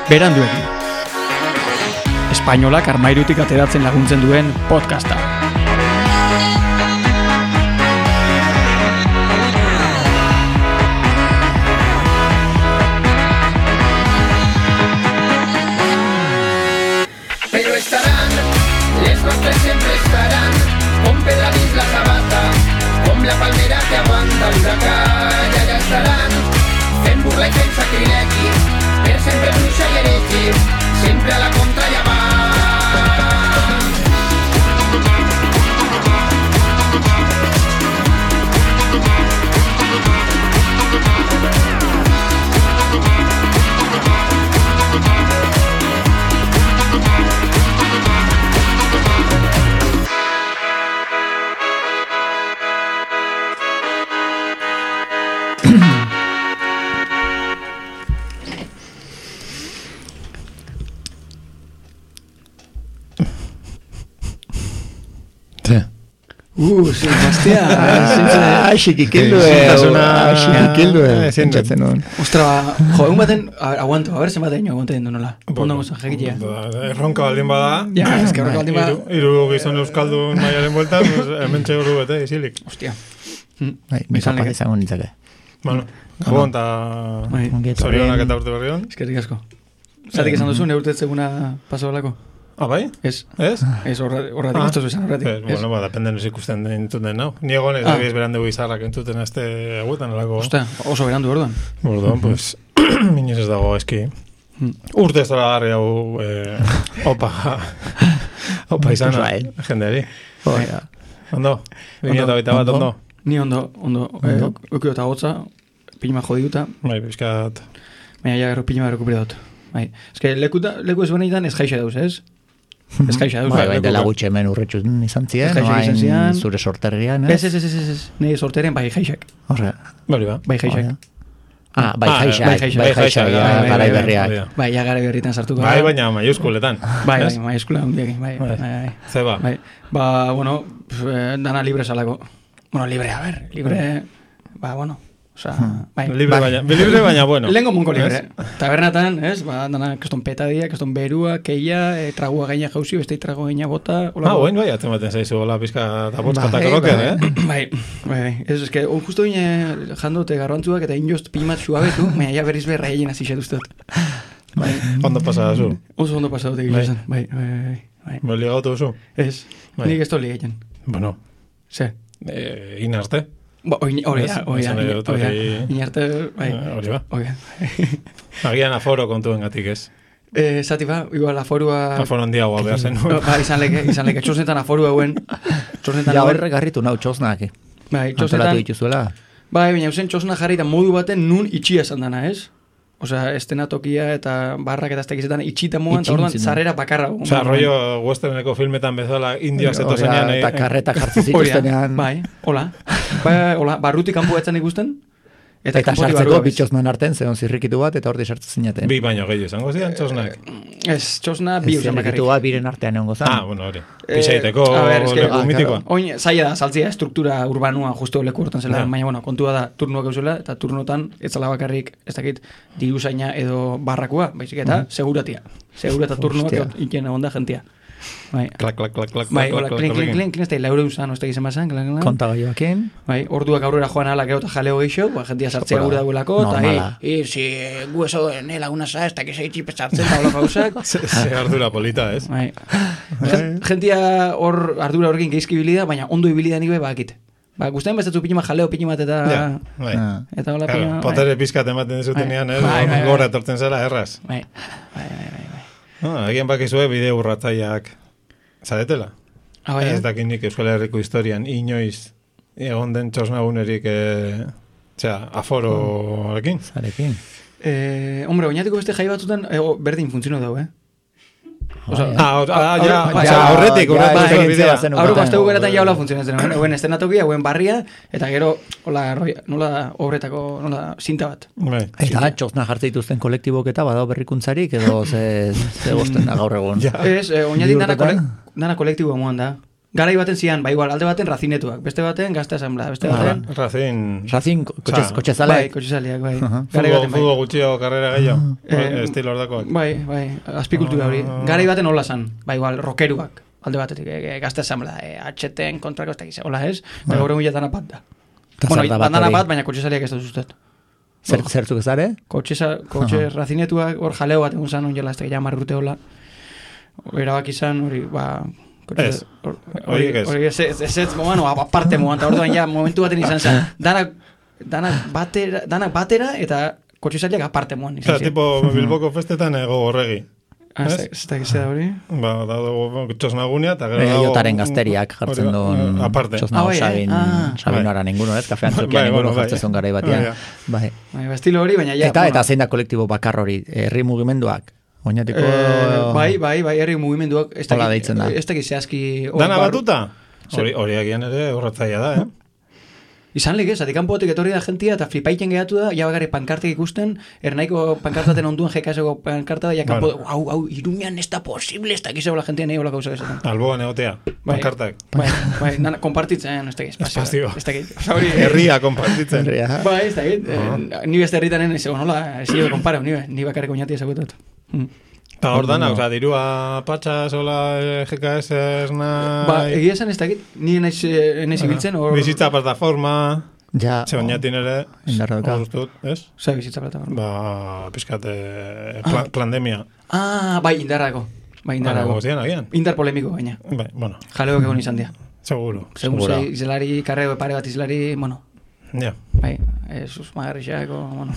Beranduegi. Espainolak armairutik ateratzen laguntzen duen podcasta. Pero estarán, les nostres siempre estarán, con pedra dins la sabata, com la palmera que aguanta l'huracà, i allà estaran, fent burla i fent sacrilegi, per sempre bruixa i heregi, sempre a la contra i avant. Sí, bastia. Sentzatzen hon. Ostra, jo, egun baten, aguanto, a ver, zenbat egin aguanten du nola. Ondo gozan, jekitia. Erronka baldin bada. Ja, eske erronka baldin bada. Hiru gizon euskaldun maialen bueltan, hemen txeguru bete, izilik. Ostia. Mikropa izango nintzake. Bueno, gabon eta zorionak eta urte berrion. Eskerrik asko. Zatik esan duzu, neurtetzeguna paso balako? Ah, bai? Ez. Ez? Ez, horratik ez esan horratik. Bueno, dependen ez ikusten entzuten nau. Ni egon ez dabiz berandu izarrak entzuten azte aguetan alako. Osta, oso berandu orduan. Orduan, pues, minez ez dago eski. Urte ez dara garri hau opa izana jendeari. Ondo? 2021 bat ondo? Ni ondo. Ukio eta gotza, pilima jodiuta. Bai, bizkat. Baina ja gero pilima rekuperadot. Bai. Ez que leku ez benetan ez jaixa dauz, ez? Ez jaixa dauz. Bai, dela gutxe hemen urretxuz izan ziren, noain zure sorterrian, ez? Ez. Nei sorteren bai jaixak. Horre. Bai jaixak. Bai jaixak, garai berriak. Bai, ja garai berritan sartuko. Bai, baina maiuskuletan. Bai, maiuskula hundiakin, bai. Zeba. Ba, bueno, dana libre salako. Bueno, libre, a ver, libre, ba, bueno. Osa, bai. Libre baina bueno. Lengo munko libre. Tabernatan, ez? Ba, dana, keston petadia, keston berua, keia, tragua gaina jauzi, beste trago gaina bota. Oin bai, atzematen zaizu, hola, pizka eta botzkata koloken, Bai. Ez, eske, justo bine jandote garrantzuak eta injost pimat suabetu, baina ja berriz berra egin azixet ustot. Ondo pasada zu? Oso ondo pasada dut egin. Bai. Bai ligautu zu? Ez, nik ez toli egin. Bueno. Ze? Inarte? Hori da, inarte, bai. Hori ba. Agian aforo kontuen gatik ez. Zati ba, igual aforua... Aforo handiagoa behar zen. Ba, izan leke, txosnetan aforua hauen. Ja, horre garritu nau txosnak. Bai, txosnetan... Antolatu dituzuela. Bai, baina usen txosna jarri eta modu baten nun itxia esan dana, ez? Osea, estena tokia eta barrak eta estekizetan itxita moan, eta orduan zarrera bakarra. Osea, rollo westerneko filmetan bezala indiak zeto zenean. Eta karreta jartzen zituztenean. Bai, hola, barrutik kanpo etzen ikusten. Eta sartzeko bitxosnan arten, zeon zirrikitu bat, eta horti sartzen zinaten. Bi baino gehiago izango zidan txosnak. Ez, txosna bi usan bakarrik. Zirrikitu bat biren artean egongo zan. Bueno, hori. Pixaiteko leku mitikoa. Oin, zaila da, saltzia, struktura urbanua justo leku hortan zela, baina, bueno, kontua da, turnuak eusela, eta turnotan, ez zala bakarrik, ez dakit, diruzaina edo barrakua, baizik eta, seguratia. Segurata turnuak iken egon da jentia. Bai. Klak. Bai, hola, klin, ez da, laure usan, ez da gizan basan, klan. Konta gaioakin. Bai, orduak aurrera joan ala gero eta jaleo geixo, jentia sartzea gure dagoelako, eta, si gu eso nela una sa, ez da que se itxipe sartzen, eta hola gauzak. Se ardura polita, ez? Bai. Jentia hor ardura horrekin geizki bilida, baina ondo ibilida nik bakit. Ba, guztain bezatzu piñima jaleo piñimat eta... Eta hola piñima... Potere pizkat ematen dezutenean, gora etortzen zela, erraz. Bai. Egin bakizue bide urratzaileak zaretela. Ez dakinik Euskal Herriko historian inoiz egon den txosnagunerik afororekin. Zarekin. Hombre, oinatiko beste jai batzutan berdin funtziono dago, Horretik aurreko asteko geratan jaula funtzionatzen hauen estenatokia, hauen barria eta gero nola obretako nola zinta bat eta txosna jartzen dituzten kolektibok eta badao berrikuntzarik edo ze gozten da gaur egon ez, oinatik dana kolektiboa moan da Garai baten zian, igual, alde baten razinetuak, beste baten gazte asamblea, beste baten... Racing, kotxezaleak. Bai, kotxezaleak, bai. Futbol gutxio, karrera gehiago, estilo ordakoak. Bai, azpikultura hori. Garai baten hola zan, igual, rokeruak, alde batetik, gazte asamblea, HTen kontrako ez da gizea, hola ez? Eta gaur egun jatana bat da. Bueno, bandana bat, baina kotxezaleak ez da zuztet. Zertzuk ezare? Kotxe razinetuak, hor jaleo bat egun zan, onjela, ez da jamar urte hola. Erabak izan, hori, hori ez, bueno, aparte momentu, orduan ja, momentu baten izan zen, danak batera eta kotxizaliak aparte moan izan zen. Tipo, Bilboko festetan ego horregi. Ez da gizea hori? Ba, dago txosnagunia, eta gero dago... Jotaren gazteriak jartzen duen txosnago Sabinoara ninguno, ez? Kafean zokia ninguno jartzen zuen garai batean. Bai, estilo hori, baina ja... Eta zein da kolektibo bakar hori, herri mugimenduak? Oinatiko... Bai, herri mugimenduak... Hola deitzen da. Ez da gizeazki... Dana batuta? Hori agian ere horratzaia da, Izan lik ez, atikanpotik etorri da jentia eta flipaiken gehatu da, ja bakarrik pankartek ikusten, ernaiko pankartaten onduan jekaseko pankarta da, ja kanpo, hau, Iruñan ez da posible, ez da gizego la jentia nahi hola gauzak esaten. Alboan egotea, pankartak. Bai, kompartitzen, ez da giz, espazio. Herria kompartitzen. Bai, ez da giz, ni beste herritanen, ez egon hola, ez jo kompara, ni bakarrik oinati ezagutot. Eta hor dana, dirua patxa, sola, GKS, esna... Ba, egia esan ez dakit, ni enaiz ibiltzen, hor... Bizitza plataforma, ze bainatin ere, hor ustut, ez? Zer bizitza plataforma? Ba, pizkate, pandemia. Bai, indarrako. Indar polemiko, baina. Bai, bueno. Jaleok egon izan dia. Seguro. Segun izlari, karrego pare bat izlari, bueno... Ja. Bai, sus magarrixako, bueno...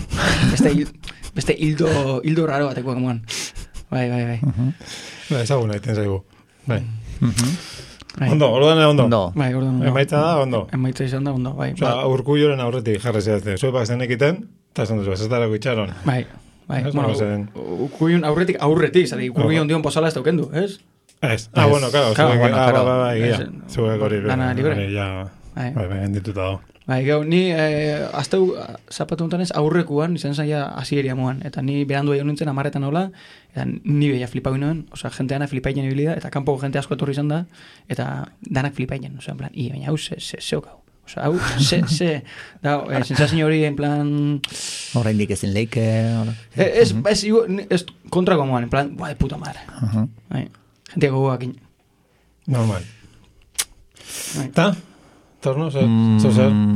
Beste hildo raro batekoak moan. Bai. Ba, ezagun nahi zaigu. Bai. Ondo, ondo. Bai, orduan ondo. Emaitza da, ondo. Emaitza izan da, ondo, bai. Osa, urkulloren aurretik jarri zehazte. Zuepak zen ekiten, eta esan duzu, ez darako itxaron. Bai. Bueno, urkullon aurretik, zari, urkullon dion posala ez daukendu, ez? Ez. Bueno, claro. Zuek hori. Dana libre. Bai, endituta dago. Bai, gau, ni azteu zapatu honetan ez aurrekuan, izan zaila asieria moan, eta ni berandu egin nintzen amaretan hola, eta ni beha flipau inoen, oza, jenteana flipainen ibilida, eta kanpoko jente asko etorri izan da, eta danak flipainen, oza, en plan, baina hau zeokau. Oza, hau, da, sensazio hori, en plan... Horra indik ezin leike... Ez kontrako moan, en plan, de puta madre. Jentea gogoak in. Normal. Ta? Torno, zer,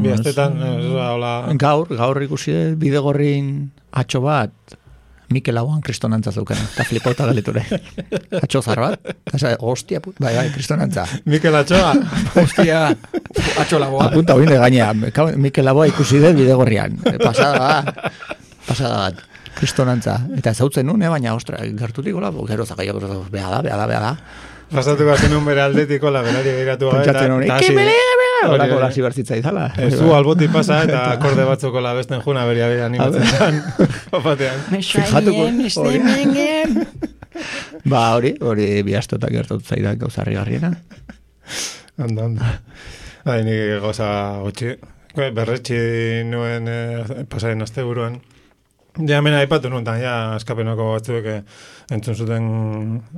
bihaztetan, hola... Gaur ikusi bidegorrin atxo bat, Mikel Lauan kristonantza zeuken, eta flipauta galiture. Atxo zar bat, hostia, bai, kristonantza. Mikel atxoa? Hostia, atxo lagoa. Apunta hoin de gainea, Mikel Lagoa ikusi dut bidegorrian. Pasada bat, kristonantza. Eta ezautzen nun, baina, ostra, gertutik gola, gero zakaio, beha da. Pasatu bazen un bere aldetiko, la berari begiratu Horako lasi bertzitza izala. Zu alboti pasa eta akorde batzuko la besten juna beria animatzen zan. Opatean. Ba, hori bihaztotak gertatu zaidan gauzarri garriena. Onda. Nik goza gotxi. Berretxi nuen pasaren azte buruan. Ja, mena aipatu nuen, ja, eskapenoko batzuek entzun zuten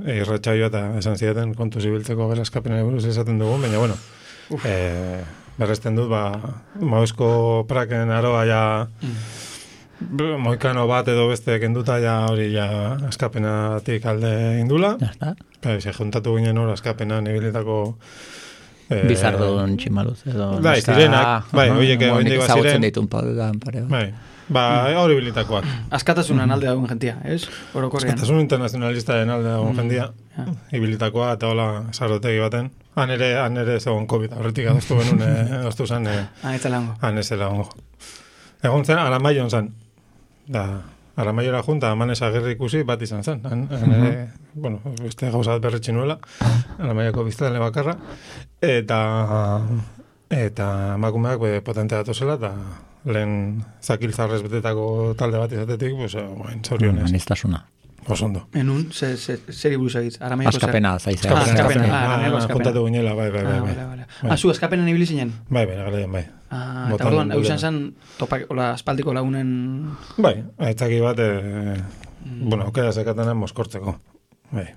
irratxaioa eta esan zidaten kontu zibiltzeko gela eskapenari buruz esaten dugun, baina, bueno, berresten dut, Mauzko praken aroa ja moikano bat edo beste kenduta ja hori ja eskapenatik alde indula. Se juntatu ginen hor eskapenan ibilitako Bizardun tximaluz edo... Bai, zirenak, oiek egin zagutzen ditun paudan pare. Bai. Hori bilitakoak. Askatasunan alde dagoen jentia, ez? Askatasun internazionalistaren alde dagoen jentia. Ibilitakoa eta hola sarotegi baten. Han ere zegoen COVID, horretik adostu benun, adostu zen. Han ez zela hongo. Egon zen, Aramaion zen. Aramaiora junta, amanez agerri ikusi bat izan zen. Bueno, beste gauzat berretxin nuela. Aramaiako biztadele bakarra. Eta emakumeak potente datuzela, eta lehen zakiltzarrez betetako talde bat izatetik, zorionez. Manistasuna. Osondo. Enun, zer ibuz egitz? Askapena, zaizea. Askapena. Kontatu guinela, bai. Zu, askapena nibili zinen? Bai, galean, bai. Eta orduan, hau izan zen, aspaldiko lagunen... Bai, aitzaki bat, aukera zekatena moskortzeko. Bai.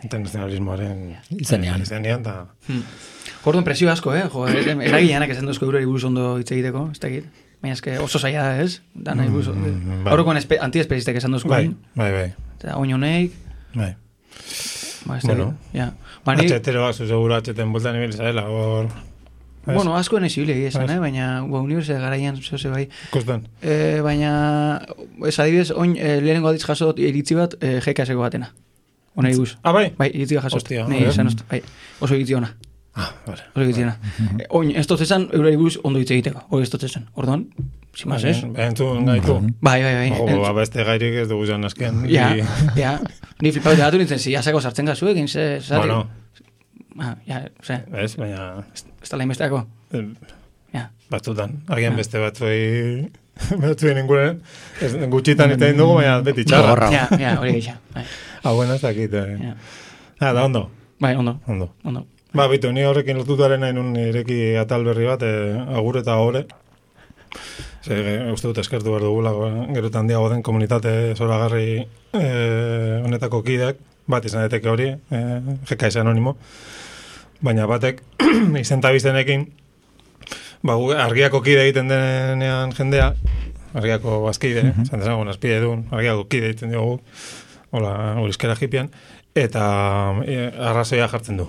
internazionalismoaren Izenean. eta... Orduan presio asko, jo, eragileanak esan duzko eurari buruz ondo hitz egiteko, ez da egit. Baina eske oso zaila da, ez? Da nahi buruz. Horrekoan antiespezistek esan duzko. Bai. Eta oinoneik. Bai. Ba, ez da Bueno. ja. Atxetero bat, seguro atxeten bultan ibil zarela, hor... Bueno, asko nahi zibile esan, baina universitate garaian zehose bai. Kustan. Baina, ez adibidez, oin lehenengo aditz jasot iritzi bat GKS-eko batena. Ona iguz. Ah, bai? Bai, iritzi bat jasot. Hostia, Nei, esan bai, oso iritzi ona. Ah, vale. Oso iritzi ona. Oin, ez totzezan, eurari buruz ondo hitz egiteko. Hori ez totzezan. Orduan, simaz ez? Entzun gaitu. Bai. Beste gairik ez dugu zan azken. Ja. Ni flipatu datu nintzen, ziasako sartzen gazu egin, Bueno. Ez, baina... Ez da lehinbesteako. Batzutan. Agian beste batzuen inguren, gutxitan eta dugu, baina beti txarra. Ja, hori gisa. Bueno, ez dakit. Da, ondo. Bai, ondo. Ba, bitu, ni horrekin lotutaren nahi nun ireki atal berri bat, agur eta gore. Uste dut eskertu behar dugula, gero eta handiago den komunitate zoragarri honetako kideak, bat izan daiteke hori, GKS anonimo, baina batek izentabiztenekin, argiako kide egiten denean jendea, argiako bazkide, esan dezagun azpide duen, argiako kide egiten dugu, hola, urizkera jipian, eta arrazoia jartzen du.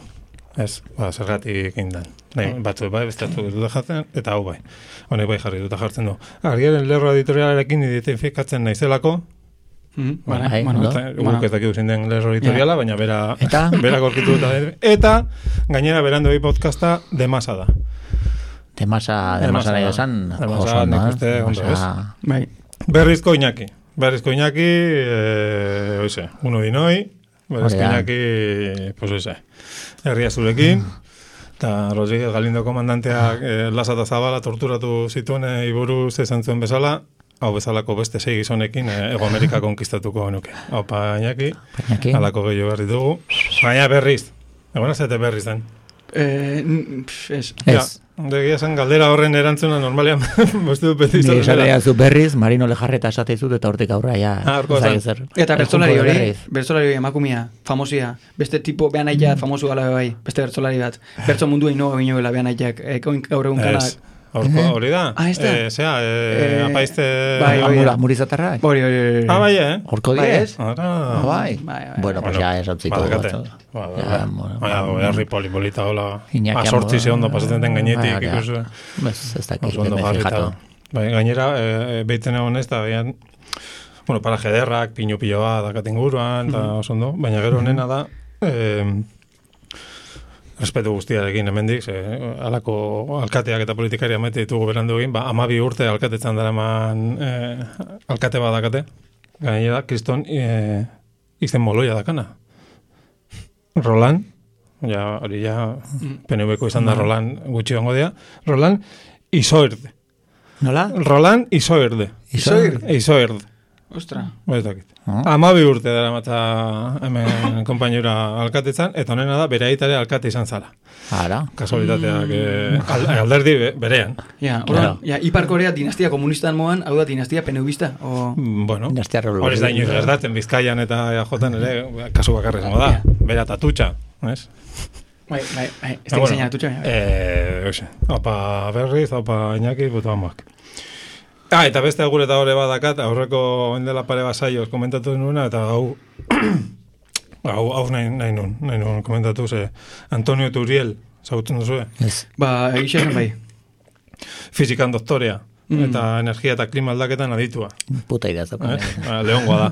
Ez, zergatik indan. Batzu bai, beste dut jartzen, eta hau bai. Honek bai jarri dut jartzen du. Argiaren lerro editorialarekin identifikatzen naizelako, guk ez dakidu zinden lerro editoriala, baina bera gorkitu dut. Eta, gainera, berandu podcasta demasa da. Demasa nahi esan, demasa nik uste ondo, ez? Berrizko Iñaki, oize, uno dinoi, berrizko Iñaki, pues oize, herria zurekin, eta Rodríguez Galindo komandanteak Lasa eta Zabala torturatu zituen iburuz esan zuen bezala, hau bezalako beste 6 gizonekin Ego Amerika konkistatuko genuke. Haupa Iñaki, halako gehiago berri dugu. Baina berriz, egon azete berriz den. Ez. Degia zen galdera horren erantzuna normalean beste du beti izan dela. Ni zu berriz, Marino Lejarreta esateizut eta hortik aurra ja. Eta bertzolari hori emakumia, famosia, beste tipo behan aiat famosu gala bai, beste bertzolari bat. Bertzo mundua inoa binoela behan aiak, gaur egun kanak. Hori da? Ez da? Apaizte... Murizatarra? Hori. Bai, horko diez? Bai. Bueno, pues ya esantziko. Herri polipolita hola. Asortzi ze ondo pasatzen den gainetik. Ez dakit, me fijatu. Gainera, behitzen egon ez da, bueno, paraje derrak, pino-piloa dakaten guruan, eta oso ondo. Baina gero nena da... Respetu guztiarekin hemendik, alako alkateak eta politikaria maite ditugu berandu egin, 12 urte alkatetzan daraman alkate bat dakate, gainera da, kriston izen moloia dakana. Roland, hori PNV-ko izan da Roland gutxi ongo dira, Roland Isoerde. Nola? Roland Isoerde. Isoerde. Ostra. Ez dakit. 12 urte dara mata hemen konpainura alkatetzan, eta honena da, bere aitare alkate izan zala. Ara. Kasualitateak alderdi berean. Ipar Korea dinastia komunistan moan, hau da dinastia peneuista? Bueno, hori da inoiz gertatzen, Bizkaian eta EAJan ere, kasu bakarrez moda, bera tatutxa, ez? Bai, ez da izan tatutxa. Opa berriz, opa Iñaki, puto amak. Eta beste agur eta hori badakat, aurreko endela pare basaioz komentatu nuena, eta hau nahi nun komentatu, Antonio Turiel, zautzen duzu, egixen bai. Fizikan doktorea, eta energia eta klima aldaketan aditua. Puta idea zaukan. Leongoa da.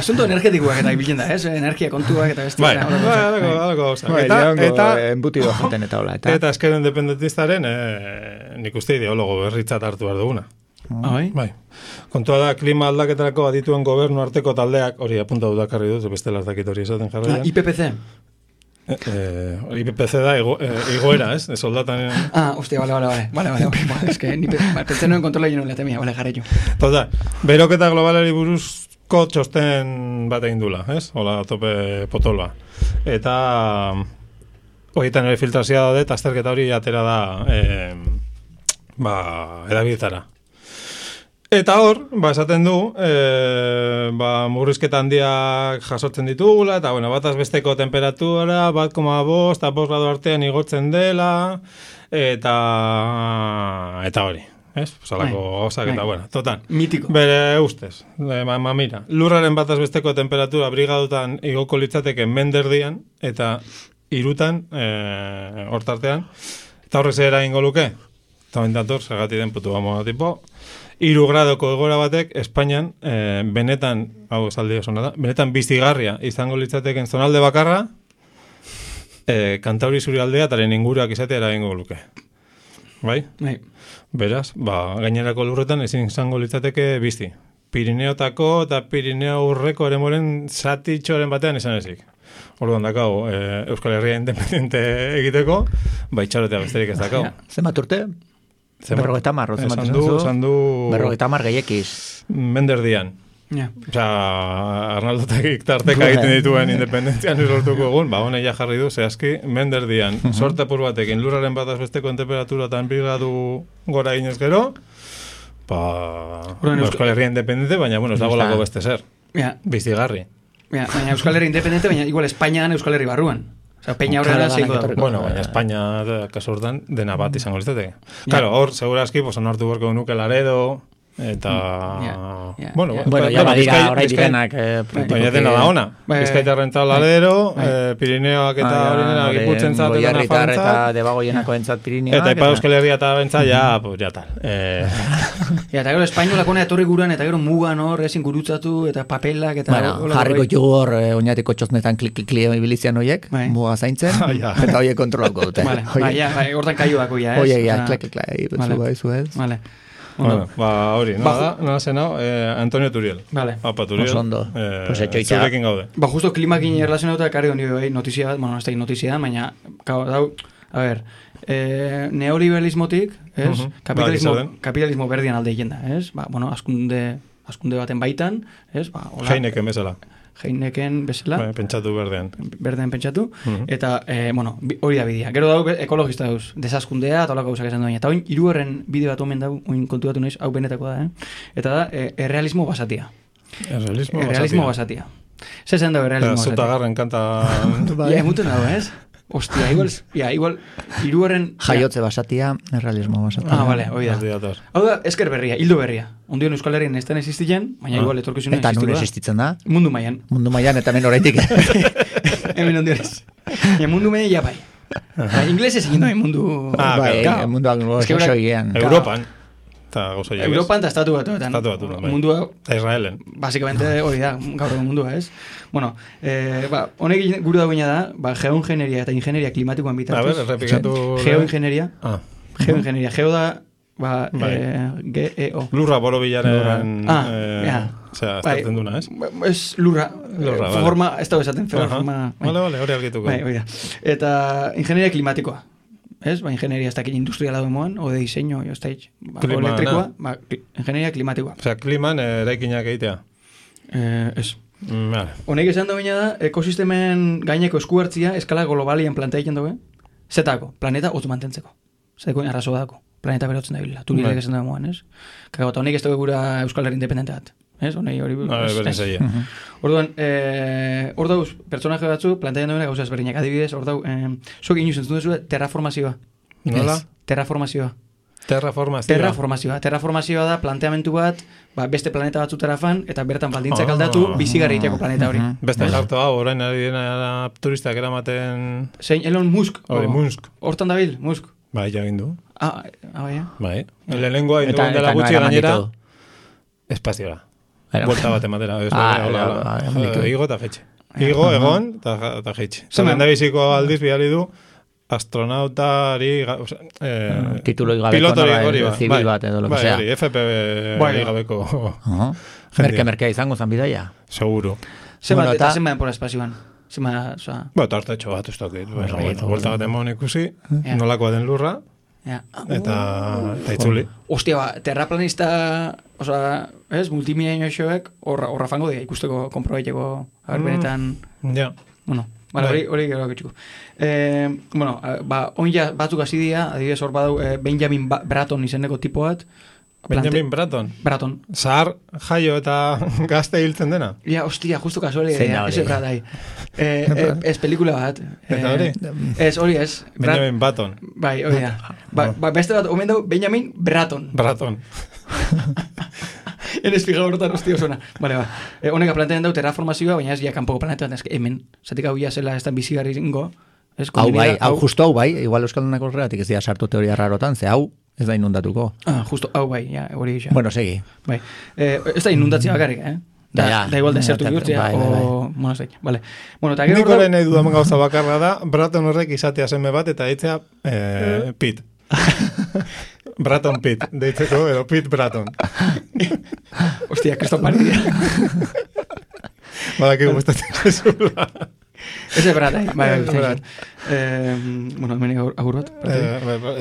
Asunto energetikoak eta ibiltzen da, energia kontuak eta beste. Alako gauza. Eta embutido jaten eta hola. Eta esker independentistaren, nik uste ideologo berritzat hartu behar duguna. Bai. Kontua da, klima aldaketarako adituen gobernu arteko taldeak, hori apuntatu dakarri dut, bestela ez dakit hori esaten jarraia. IPPC? IPPC da igoera, ez? Soldatan... Hostia, vale. Ez que, pentsen noen kontrola jeno lehatemia, vale, jarreio. Toda, beroketa globalari buruzko txosten bat egin dula, ez? Hola, tope potolba. Eta... horietan ere filtrazioa daude, eta azterketa hori atera da... edabietara. Eta hor, esaten du, murrizketa handiak jasotzen ditugula, eta, bueno, bataz besteko temperatura, 1,5 eta 5 gradu artean igotzen dela, eta hori. Ez? Salako gauzak eta, bueno, total. Mitiko. Bere ustez. Mira, lurraren bataz besteko temperatura brigadutan igoko litzateke menderdian, eta 3 hortartean, eta horrez eragingo luke. Eta bendator, segati den putu bamo tipo, 3 gradoko egoera batek, Espainian, benetan, hau esaldi osona da, benetan bizigarria izango litzateken zonalde bakarra, Kantauri zurialdea etaren inguruak izatea eragingo luke. Bai? Bai. Beraz, gainerako lurretan ezin izango litzateke bizi. Pirineotako eta Pirineo urreko eremoren zatitxoren batean esan ezik. Orduan dakau, Euskal Herria independente egiteko, itxarotea besterik ez dakau. Zenbat urte? 50 marro, zenbat esan du... 50 gehiakiz. Menderdian. Ja. Osa, Arnaldotakik tarteka egiten dituen independentzian lortuko egun, hone ja jarri du, zehazki, menderdian, sorte apur batekin, lurraren bataz besteko temperatura eta 2 gradu gora ginez gero, Euskal Herria independente, baina, bueno, ez dago lako beste zer. Bizigarri. Baina Euskal Herria independente, baina igual Espainian Euskal Herri barruan. Osa, peña horrela zeiko da. Bueno, baina Espainia, kasu hortan, dena bat izango litzateke. Claro, hor, segurazki, onartu borko nuke Laredo, eta... Bueno, ya badira, orai direnak... Baina dena da ona. Bizkaitarren eta Ladero, Pirineoak eta hori gipurtzen zat, Goiarritar eta debagoienako entzat Pirineoak. Eta Ipa Euskal Herria eta bentzat, ja tal. Eta gero Espainolak hona etorri guran, eta gero mugan hor, ezin gurutzatu, eta papelak, eta... Bueno, jarriko jugu hor, oinatiko txosnetan klik-klik ibilizian horiek, muga zaintzen, eta horiek kontrolako dute. Hortan kaio dako ya, ez? Oiek, klik-klik, betzu ez. Vale. Hori, nada zenau, Antonio Turiel. Vale. Apa, Turiel. Osondo. Zurekin gaude. Justo klimakin erlazionauta ekarri honi notizia bat, bueno, ez da notizia, baina, a ver, neoliberalismotik, ez? Kapitalismo berdian alde jenda, ez? Bueno, askunde baten baitan, ez? Heineken bezala. Heineken bezala. Pentsatu berdean. Berdean pentsatu. Eta, bueno, hori da bidea. Gero dago ekologista dauz, desaskundea, eta olako gauzak esan duaina. Eta oin, 3. bide bat omen dago, oin kontuatu naiz, hau benetako da, Eta da, errealismo basatia. Errealismo basatia. Zezen dago errealismo basatia. Zutagarren kanta... Emuten dago, ez? Ostia, igual 3. Jaiotze basatia, errealismo basatia. Vale, hoi da. Hau da, esker berria, hildo berria. Ondion Euskal Herrian ez den existitzen, baina igual etorkizunen existitu da. Eta nun existitzen da? Mundu maian. Mundu maian, eta hemen horaitik. Hemen ondion ez. Mundu maian ja bai. Inglesez egin doa mundu... Mundu anglo-saxoian. Europan. Europan eta estatu batuetan. Mundua... Israelen. Básicamente hori da, gaur egun mundua, ez? Bueno, honek gure dagoena da, geoingenieria eta ingenieria klimatikoan bitartuz. A ver, repikatu... Geoingenieria. Geoingenieria. Geo da, GEO. Lurra borobilaren... Osea, estartzen duna, ez? Ez lurra. Forma, ez dago esaten, forma... Vale, hori argituko. Eta ingenieria klimatikoa. Ez, ingenieria ez dakit industriala duemoan, o de diseño, ez da hitz. Elektrikoa, ingenieria klimatikoa. Osea, kliman eraikinak egitea. Ez. Honek esan da baina da, ekosistemen gaineko eskuartzia eskala globalian plantea egiten dugu, zetako, planeta hotz mantentzeko. Zetako arrazo dako, planeta berotzen da bila. Turilek esan da moan, ez? Kago, eta honek ez dugu gura Euskal Herri independente bat. Ez, honei hori... Orduan, hor dauz, pertsonaje batzu, plantean duena gauza ezberdinak. Adibidez, hor dau, zuek inoiz entzun duzu, terraformazioa. Nola? Terraformazioa. Terraformazioa da planteamentu bat, beste planeta batzutara fan, eta bertan baldintzak aldatu, bizigarri iteko planeta hori. Beste jartu hau, orain ari dena turistak eramaten... Zein, Elon Musk. Musk. Hortan dabil, Musk. Bai, jagin du. Bai. Lehenengoa induan dela gutxi gainera, espazioa. Buelta bat ematera. Igo eta jetxe. Igo, egon, eta jetxe. Zaren da biziko aldiz bihali du, astronautari... Titulo igabeko zibil bat edo lo que sea. FP igabeko... Merke izango zan bidaia. Seguro. Eta zenba denpora espazioan. Tartetxo bat, ez dakit. Buelta bat emon ikusi, nolakoa den lurra, eta itzuli. Ostia, terraplanista, multimilenio xoek, horra fango dira ikusteko konprobaiteko benetan... Bueno, hori gero ketxuko. Bueno, oin batzuk hasi dira, adibidez hor badau Benjamin Bratton izeneko tipo bat, Benjamin Bratton. Bratton. Zahar jaio eta gazte hiltzen dena. Ja, hostia, justo kasuali. Zein da hori? Ese Bratai. Ez pelikula bat. Eta hori? Ez, hori ez. Benjamin Button. Bai, hori da. Beste bat, omen dau, Benjamin Bratton. Bratton. Enez fija horretan, hostia, osona. Vale, ba. Honeka plantean dau terraformazioa, baina ez ja kanpoko planetan, ez hemen. Zatik hau ja zela ez da bizigarri zingo. Hau bai, justo hau bai, igual Euskaldunak horregatik ez dira sartu teoria rarotan, ze hau ez da inundatuko. Justo hau bai, ja, hori gisa. Bueno, segi. Bai. Ez da inundatzea bakarrik, Da igual desertu bihurtzea, bueno, zei, vale. Bueno, eta gero... Nikola nahi dudamen gauza bakarra da, Bratton horrek izatea seme bat, eta ditzea Pete. Bratton Pete, deitzeko, edo Pete Bratton. Hostia, Cristo Maridia. Badaki gustatzen zezula. Ese Bratai, bai. Bueno, hemen agur bat.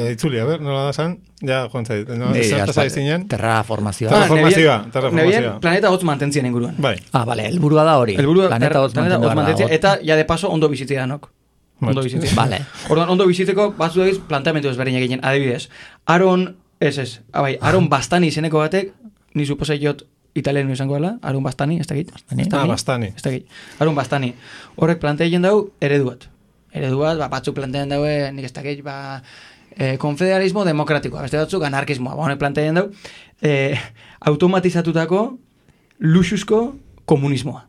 Itzuli, a ver, nola da zan? Ja, joan zait. Zertaz aizinen? Terraformazioa. Terraformazioa. Planeta hotz mantentzien inguruan. Bai. Bale, helburua da hori. Planeta hotz mantentzia. Eta, ja de paso, ondo bizitzea danok. Ondo bizitzea. Vale. Orduan, ondo bizitzeko, batzu dagiz, planteamentu ezberdinak egin, adibidez. Aron Bastani izeneko batek, ni suposai jot italiano izango dela, Aron Bastani, ez dakit? Bastani. Ez dakit. Aron Bastani. Horrek planteien dau, eredu bat, batzuk planteien daue, nik ez dakit, konfederalismo demokratikoa, beste batzuk anarkismoa, honek planteien dau, automatizatutako luxuzko komunismoa.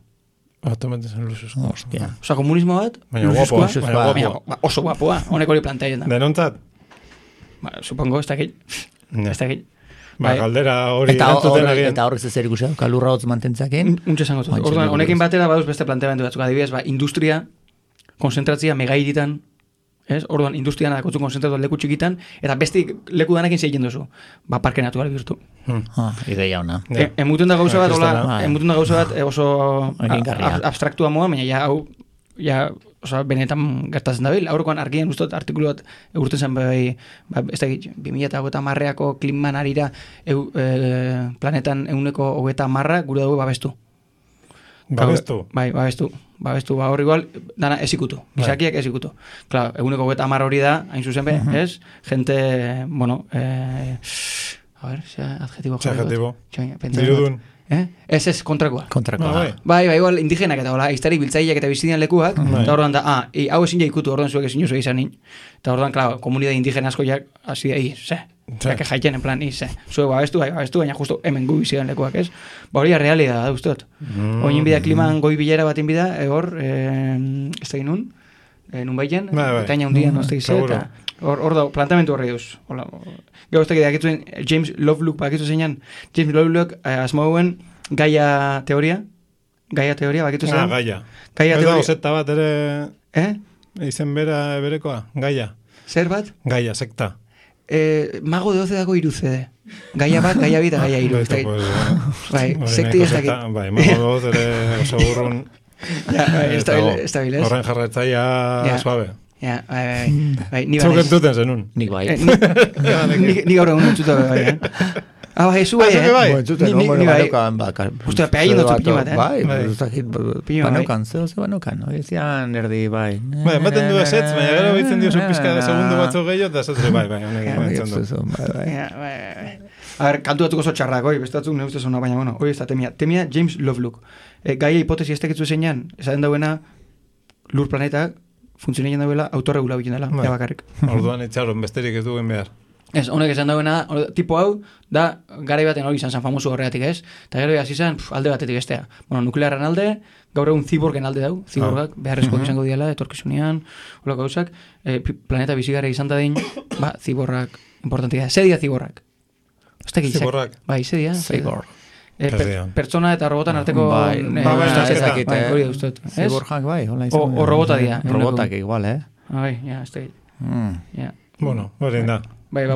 Automatizan luxuzko. Hostia. Osa, komunismo bat, luxuzkoa, oso guapoa, honek hori planteien dau. Denontzat? Supongo, ez dakit. Ez dakit. Galdera hori erantzuten egin. Eta horrez ez erikusia, kalurra hotz mantentzakin. Untxe esango zut. Orduan, honekin batera baduz beste planteamendu batzuk. Adibidez, industria, konzentratzia megairitan, ez? Orduan, industrian adakotzu konzentratu leku txikitan, eta beste leku danekin zeigen duzu. Parke natural bihurtu. Ideia ona. Emutun da gauza bat, oso abstraktua moa, baina ja, hau, benetan gertatzen dabil. Aurrekoan argien ustot artikulu bat egurten zen ez da 2010ko kliman arira planetan 110 gure dugu babestu. Babestu? Bai, babestu. Hor igual, dana ezikutu. Gizakiak ezikutu. Claro, 110 hori da, hain zuzen be, ez? Gente, bueno, a ver, adjetibo. Dirudun. Ez kontrakoa. Bai, igual indigenak eta hola, iztari biltzaileak eta bizidian lekuak, eta orduan da, hau ezin ja ikutu, orduan zuek ezin jozua izan nin. Eta orduan, claro, komunidade indigena asko jak, hasi da, que jaiten en plan, zuek babestu, baina justo hemen gu bizidian lekuak, ez? Hori realidad da, ustot. Oin bida kliman goi bilera bat inbida, hor, ez da inun, nun baien, eta ina hundian, ez da izan, eta hor da, plantamentu horri duz. Gero ez da, akitzuen, James Lovelock, bakitu zeinan, James Lovelock, asmauen, Gaia teoria, bakitu zeinan. Gaia. Gaia teoria. Ez da, sekta bat ere, izen berekoa, Gaia. Zer bat? Gaia, sekta. Mago de 12 dago 3 CD. Gaia bat, Gaia bita, Gaia 3. Bai, sekti ez dakit. Bai, Mago de 12 ere oso burrun. Estabil, ez? Horren jarretzaia suave. Ja, bai, ni Zuk entuten zenun. Nik bai. Ni gaur egun entzuta bai, bai, zu bai, Ni bai. Ustea, peaien dut pini bat, Banokan, ze banokan. Zian erdi, bai. Bai, ematen du esetz, baina gero bitzen dio pizka de segundo batzu gehiago, eta esetz, bai, A ver, kantu batuko txarrak, beste batzuk ne ustez ona, baina, bueno, hori ez da temia James Lovelock. Gaia hipotesi ez tekitzu zeinan, esaten dauena, lur planetak, funtzionean dauela, autorregula bilen dela, bakarrik. Orduan itxaron, besterik ez duen behar. Ez, honek esan dauena, tipo hau, da, garai baten hori izan famoso horregatik ez, eta gero hasi izan, alde batetik bestea. Bueno, nuklearren alde, gaur egun ziborgen alde dau, ziborgak, beharrezkoak izango diela, etorkizunean, hola gauzak, planeta bizigarra izan da din, ziborrak, importantia, zedia ziborrak. Ziborrak? Bai, zedia. Zibor. Pertsona eta robotan arteko... Ziborjak, bai. O robota dia. Robotak igual, Bai, ja, ez da. Bueno, hori da. Bai,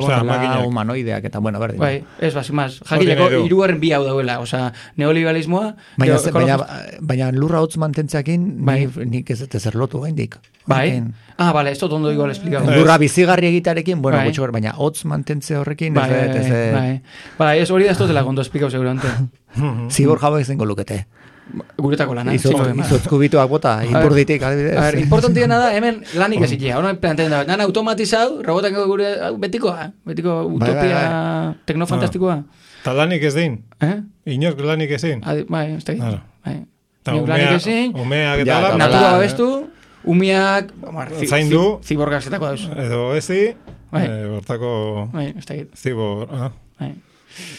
humanoideak eta, bueno, berdin. Bai, ez, basimaz. Jakileko, hirugarren bi hau dauela. Osa, neoliberalismoa... Baina lurra hotz mantentzakin, nik ez ezer lotu gaindik. Bai? Bale, ez dut ondo igual esplikatu. Lurra bizigarri egitarekin, bueno, gutxo, baina hotz mantentze horrekin, Bai, ez hori da ez dutela gondo esplikau seguramente. Zibor jauek zengo lukete. Guretako lana. Izotzkubituak bota, inburditik, adibidez. A ver, importantiena da, hemen lanik ez ikia. Hora planteen da, nan automatizau, robotak gure betikoa, betiko utopia teknofantastikoa. Ta lanik ez din? Inork lanik ez din? Bai, ez da egin. Umeak eta la... Natura babestu, umiak... Zaindu... Ziborgak zetako dauz. Edo ezi, bortako... Bai, ez da egin. Zibor... Bai.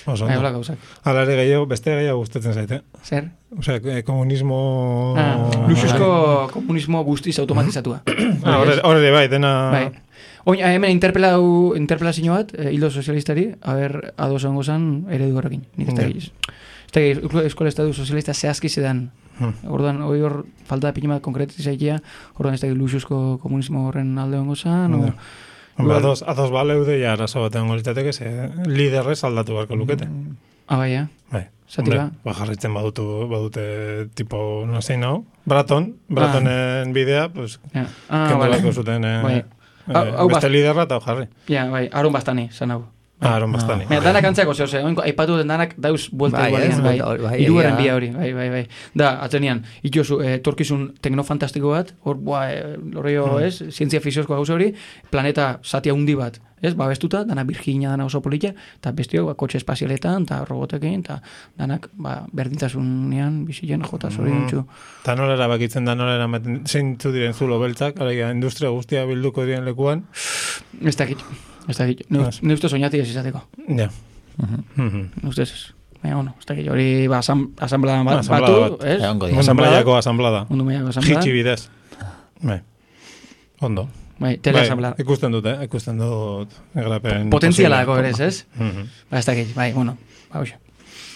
Bai, hola gauzak. Hala ere gehiago, beste gehiago gustatzen zaite. Zer? Osea, komunismo... Luxuzko komunismo guztiz automatizatua. Horre bai, dena... Bai. Oin, hemen interpelazio bat, hildo sozialistari, ados ongo zan eredu horrekin. Nik ez da egiz. Ez da egiz, eskola estadu sozialista zehazki zedan. Orduan, hor falta da pinimat konkretizaikia, orduan ez da egiz luxuzko komunismo horren alde ongo zan, Ados baleude ja arazo batean golitateke, liderrez aldatu barko lukete. Bai, ja. Bai. Zatira? Jarritzen badute tipo, no zein hau, Bratonen bidea, pues, kendu barko zuten beste liderra eta jarri. Ja, bai, Aron Bastani, zan hau. Aron Bastani. Danak antzako zehose, aipatu den danak dauz buelta igualian, iruaren bia hori, bai. Da, atzenean, itozu, torkizun teknofantastiko bat, horreio, zientzia fiziozko gauza hori, planeta zati handi bat, babestuta, dana Virginia, dana oso politia, eta bestio, kotxe espazialetan, eta robotekin, eta danak, berdintasunean, bizien jota zori dintxu. Eta nola erabakitzen da, nola eramaten, zeintzu diren zulo beltzak, industria guztia bilduko diren lekuan? Ez dakit. Ne ustez soñati ez izateko. Ja. Ne ustez ez. Baina, bueno, ez dakit, hori asamblada batu, ez? Mundu mailako asamblada. Jitsi bidez. Bai. Ondo. Bai, teleasamblada. Ikusten dut egrapen... Potentzialako berez, ez? Ba, ez dakit, bai, bueno.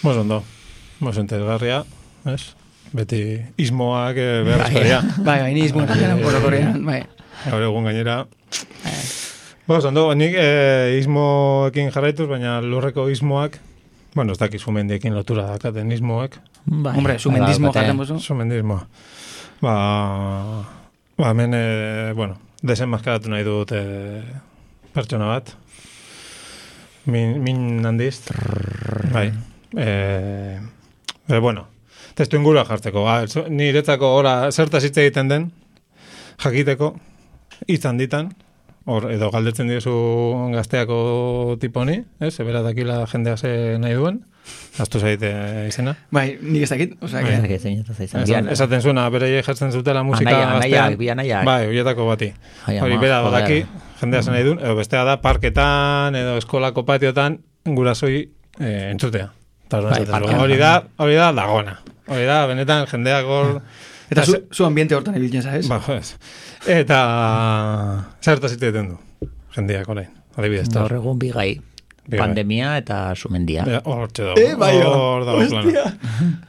Mos ondo. Mos entesgarria, ez? Beti ismoak beharrezkoria. Bai, ni ismoak orokorrean, bai. Gaur egun gainera... Ondo, nik ismoekin jarraituz, baina lurreko ismoak, ez dakit sumendiekin lotura dakaten ismoak. Hombre, sumendismo jaten bozu. Sumendismoa. Hemen, desenmaskaratu nahi dut pertsona bat. Min handiz. Bai. Testu ingurua jartzeko. Niretzako zertaz hitz egiten den, jakiteko, izan ditan, edo galdetzen diozu gazteako tiponi, ebera dakila jendea ze nahi duen, aztu zaite izena. Bai, nik ez dakit, esaten zuena, berei jartzen zutela musika gaztean. Bai, horietako bati. Hori bera badaki, jendea ze nahi duen, edo bestea da, parketan, edo eskolako patiotan, gurasoi entzutea. Hori da dagona. Hori da, benetan, jendeak hor... Eta zu ambiente hortan ebiltzen, ¿sabes? Ba, eta zertaz egiten du, jendeak orain, adibidez. Gaur egun bigai, pandemia eta sumendia. Hortxe dago, hostia.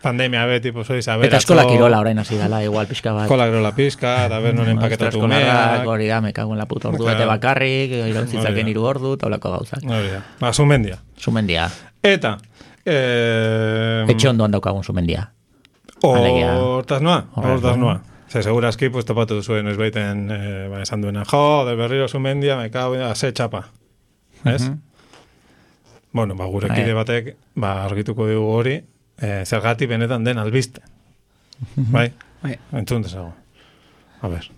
Pandemia beti, pues hori zabera. Eta eskola kirola orain hasi dala, igual pixka bat. Eskola kirola pixka, eta ber noren paketatu umeak. Hori da, me cago en la puta ordu bete bakarrik, irontzitzaken 3 ordu, taulako gauzak. Hori da, ba, sumendia. Sumendia. Eta... Etxe ondoan daukagun sumendia. Hortaz noa. Segurazki, pues topatu zuen, ez baiten, esan duena, de berriro sumendia, me cago en ze txapa. Ez? Gure kide batek, argituko dugu hori, zergati benetan den albiste. Bai? Entzun dezagun. A ber.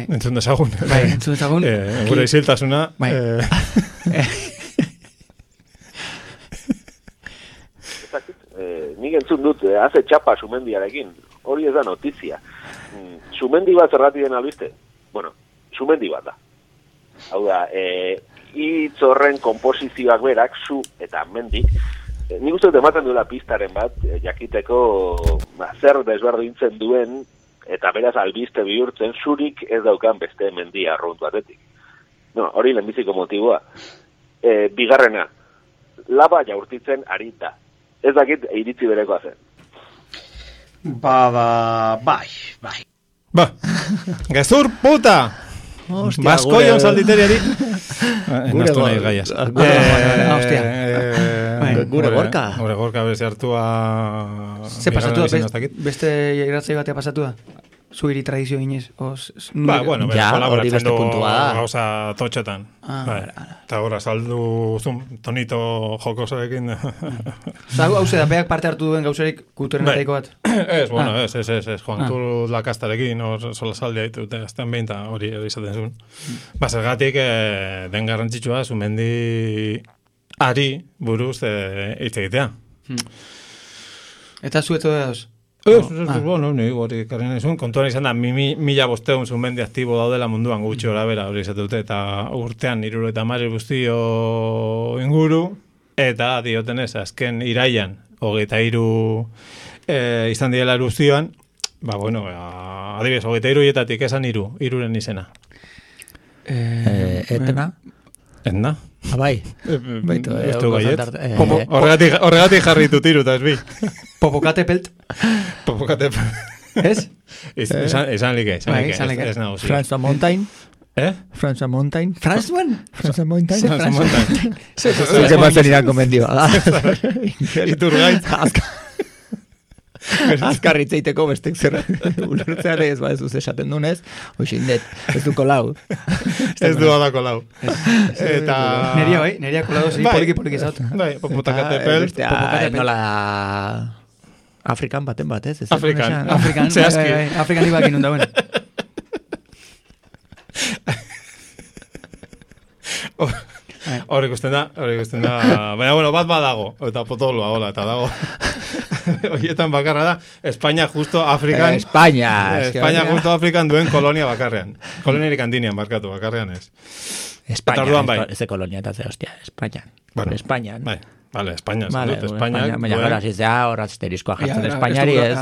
Entzun dezagun. Gure iziltasuna. Nik entzun dut, haze txapa sumendiarekin, hori ez da notizia. Sumendi bat zergati den albiste? Sumendi bat da. Hau da, hitz horren komposizioak berak, su eta mendik, nik uste dut ematen duela pistaren bat, jakiteko zer desberdintzen duen, eta beraz albiste bihurtzen, zurik ez daukan beste mendia arrunt batetik. Hori lehenbiziko motiboa. Bigarrena, laba jaurtitzen arita. Ez dakit iritzi berekoa zen. Bai. Gezur puta! Baskoion salditeriari. Nastu nahi gaiaz. Gure gorka. Gure gorka bezi hartua... Ze pasatu da? Beste iratzei batea pasatu da? zuiri tradizio ginez? Bueno, Ja, hori kolaboratzen beste du puntua da. gauza totxetan. Eta horra saldu tonito jokosoekin. Hau zedapeak parte hartu duen gauzarik kulturenetaiko bat? Ez, bueno, ez. Juan Cruz Lakastarekin, sola saldia ditute, azten behin, hori izaten zuen. Zergatik, den garrantzitsua, Zumendi ari buruz hitz egitea. Eta zueto da dauz? Bueno, ni hori karren izun, kontuan izan da, 1500 Zumendi aktibo daudela munduan gutxi hori bera hori izatute, eta urtean 70 guztio inguru, eta diotenez, azken iraian, 23 izan direla erupzioan, adibidez, 23 hietatik esan iruren izena. Etna? Etna? Bai. Horregatik jarritu tiru, eta ez bi. Popokatepelt? Ez? Esan like. Franz Mountain? Franz Mountain? Franz Mountain? Zer batzen iranko mendioa. Iturgaitz. Azkarritzeiteko bestek zer ulertzean ez badezuz esaten dunez, hoxindet, ez du kolau. Ez du da kolau. Eta... Neria kolau, zi, poliki zaut. Popokatepel. Nola... Afrikan baten bat, ez? Afrikan ibakin undauen. Hor ikusten da. Baina, bat badago, eta potoloa, hola, eta dago. Horietan bakarra da, Espainia justo Afrikan... Espainia justo Afrikan duen kolonia bakarrean. Koloniarik handinean barkatu, bakarrean ez. Espainia, ez de kolonia, eta ze hostia, Espainia. Espainia. Vale, Espainia. Baina gara zizea hor asterizkoa jartzen Espainiari ez.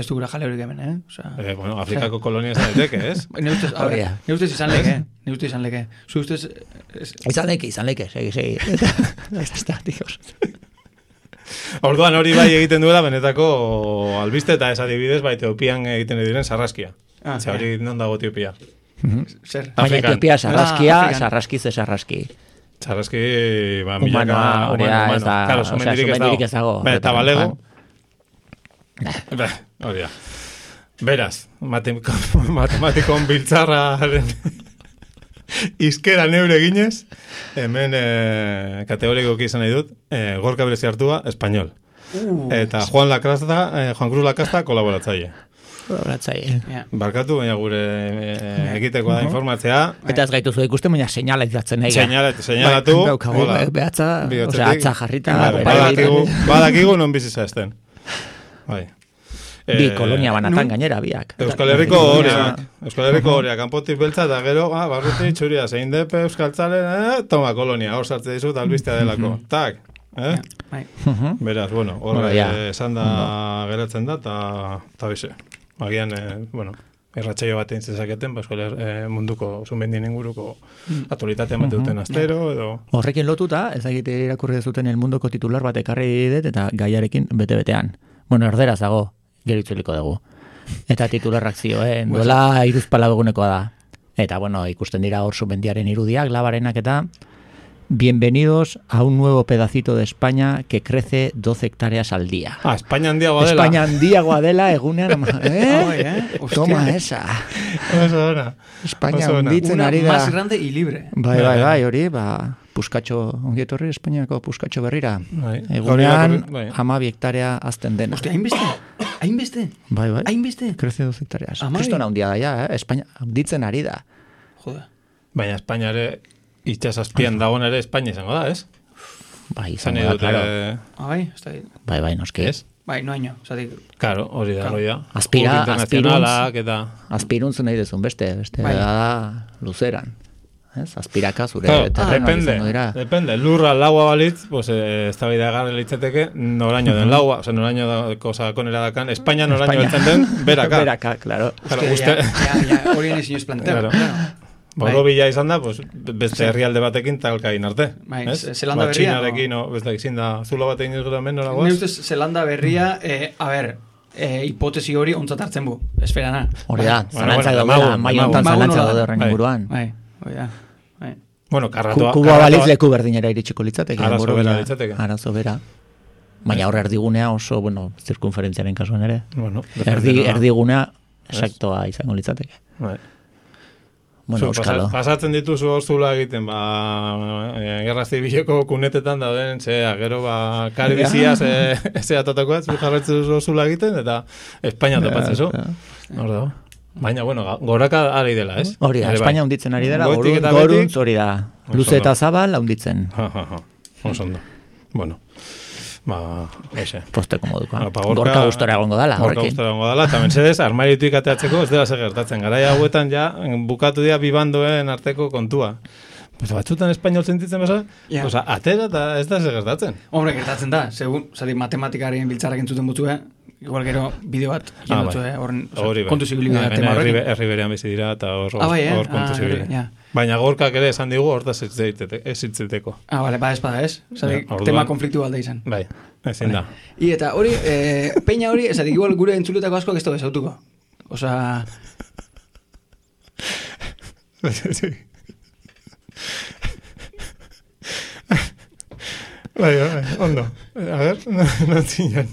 Ez dugura jale hori hemen, Bueno, Afrikako kolonia ez daiteke, ez? Ne ustez izan leke. Zu ustez... Izan leke, segi. Orduan hori bai egiten duela benetako albiste eta ez adibidez bai Etiopian egiten diren sarraskia. Hori non dago Etiopia? Zer? Baina Etiopia sarraski. Sarraski, milaka humano. Claro, Zumendirik ez dago. Eta balego. Hori da. Beraz, matematikon biltzarraren izkera neure ginez, hemen kategorikoki izan nahi dut, Gorka Berezi hartua, espanyol. Eta Juan Cruz Lacasta, kolaboratzaile. Barkatu, baina gure egiteko da informatzea. Eta ez gaitu zu ikusten, baina seinalizatzen nahi. Seinalatu. Behatza, atza jarrita. Badakigu non bizitza esten. Bai. Bi kolonia banatan gainera biak. Euskal Herriko horeak, kanpotik beltza, eta gero, barruti txuria, zein depe, euskaltzale, toma kolonia, hor sartze dizut, albistea delako. Tak, Beraz, bueno, hor esan da geratzen da, eta bize. Agian, erratxaio bat egin zezaketen, munduko Zumendien inguruko aktualitatea emate duten astero, edo... Horrekin lotuta, ez egite irakurri dezuten el munduko titular bat ekarri dit, eta gaiarekin bete-betean. Bueno, erderaz dago, geritzuliko dugu. Eta titularrak zioen, duela 3 egunekoa da. Eta, ikusten dira hor Zumendiaren irudiak, labarenak eta... Bienvenidos a un nuevo pedacito de España que crece 12 hectáreas al día. España handiagoa dela. España handiagoa dela, egunean... Toma esa. España hunditzen ari da. Una más grande y libre. Bai, hori, puskatxo, ongietorri Espainiako puskatxo berrira. Egunean, 12 hektarea azten dena. Hostia, hainbeste? Bai. Hainbeste? Crece 12 hectáreas. Kristona hundia da, ja, España hunditzen ari da. Joder. Baina España ere... Itxasazpian dagoen ere Espainia izango da, ez? Bai, izango da, claro. Bai, ez da dit. Bai, noski. Ez? Bai, noaino, zatik. Claro, hori da, hori da. Aspiruntz nahi dezun beste da luzeran. Azpiraka zure depende, lurra laua balitz, ez da bidea garri litzateke, noraino den laua, noraino dako sakonera dakan, Espainia noraino beltzen den, beraka. Beraka, claro. Hori nizin ez plantea. Borobila izan da, beste herrialde batekin talka egin arte. Zelanda berria. Txinarekin, beste izin da zulo batekin izan hemen, nora guaz? Ne ustez, Zelanda berria, hipotesi hori ontzat hartzen bu, esferana. Hori da, zalantzak daudela, maiontan zalantzak daude horren inguruan. Bai, hori da. Bueno, karratua... Kuba baliz leku berdinera iritsiko litzateke. Arazo bera. Baina hor erdigunea oso, zirkunferentziaren kasuan ere. Bueno, erdigunea Exactoa izango litzateke. Bai. Bueno, euskalo. Pasatzen dituzu orzula egiten, gerra zibileko kunetetan dauden, gero, kari biziaz, atatakoa, zu jarretzen duzu orzula egiten, eta Espainia topatzezu. Hor dago. Baina, bueno, goraka ari dela, ez? Hori da, Espainia hunditzen ari dela, goruntz hori da. Luze eta zabal hunditzen. Osondo. Bueno. Posteko moduko. Gorka gustora egongo dala. Gorka gustora egongo dala, eta mensedez, armarituik ateatzeko ez dela gertatzen. Garaia hauetan ja, bukatu dira bibandoen arteko kontua. Pues batzutan espainol sentitzen beza, atera eta ez da gertatzen. Hombre, gertatzen da, segun, matematikarien biltzarrak entzuten butzue, igual gero bideo bat jendotzu, kontu zibilibidea tema horrekin. Herri berean bizi dira, eta hor kontu zibilibidea. Baina gorkak ere esan digu, hortaz ez zitzeteko. Bale, espada ez? Tema konfliktu balde izan. Bai, ezin da. Eta hori, peina hori, esatik igual gure entzuletako askoak ez da bezautuko. Osa... Bai, ondo. A ver, no zinan.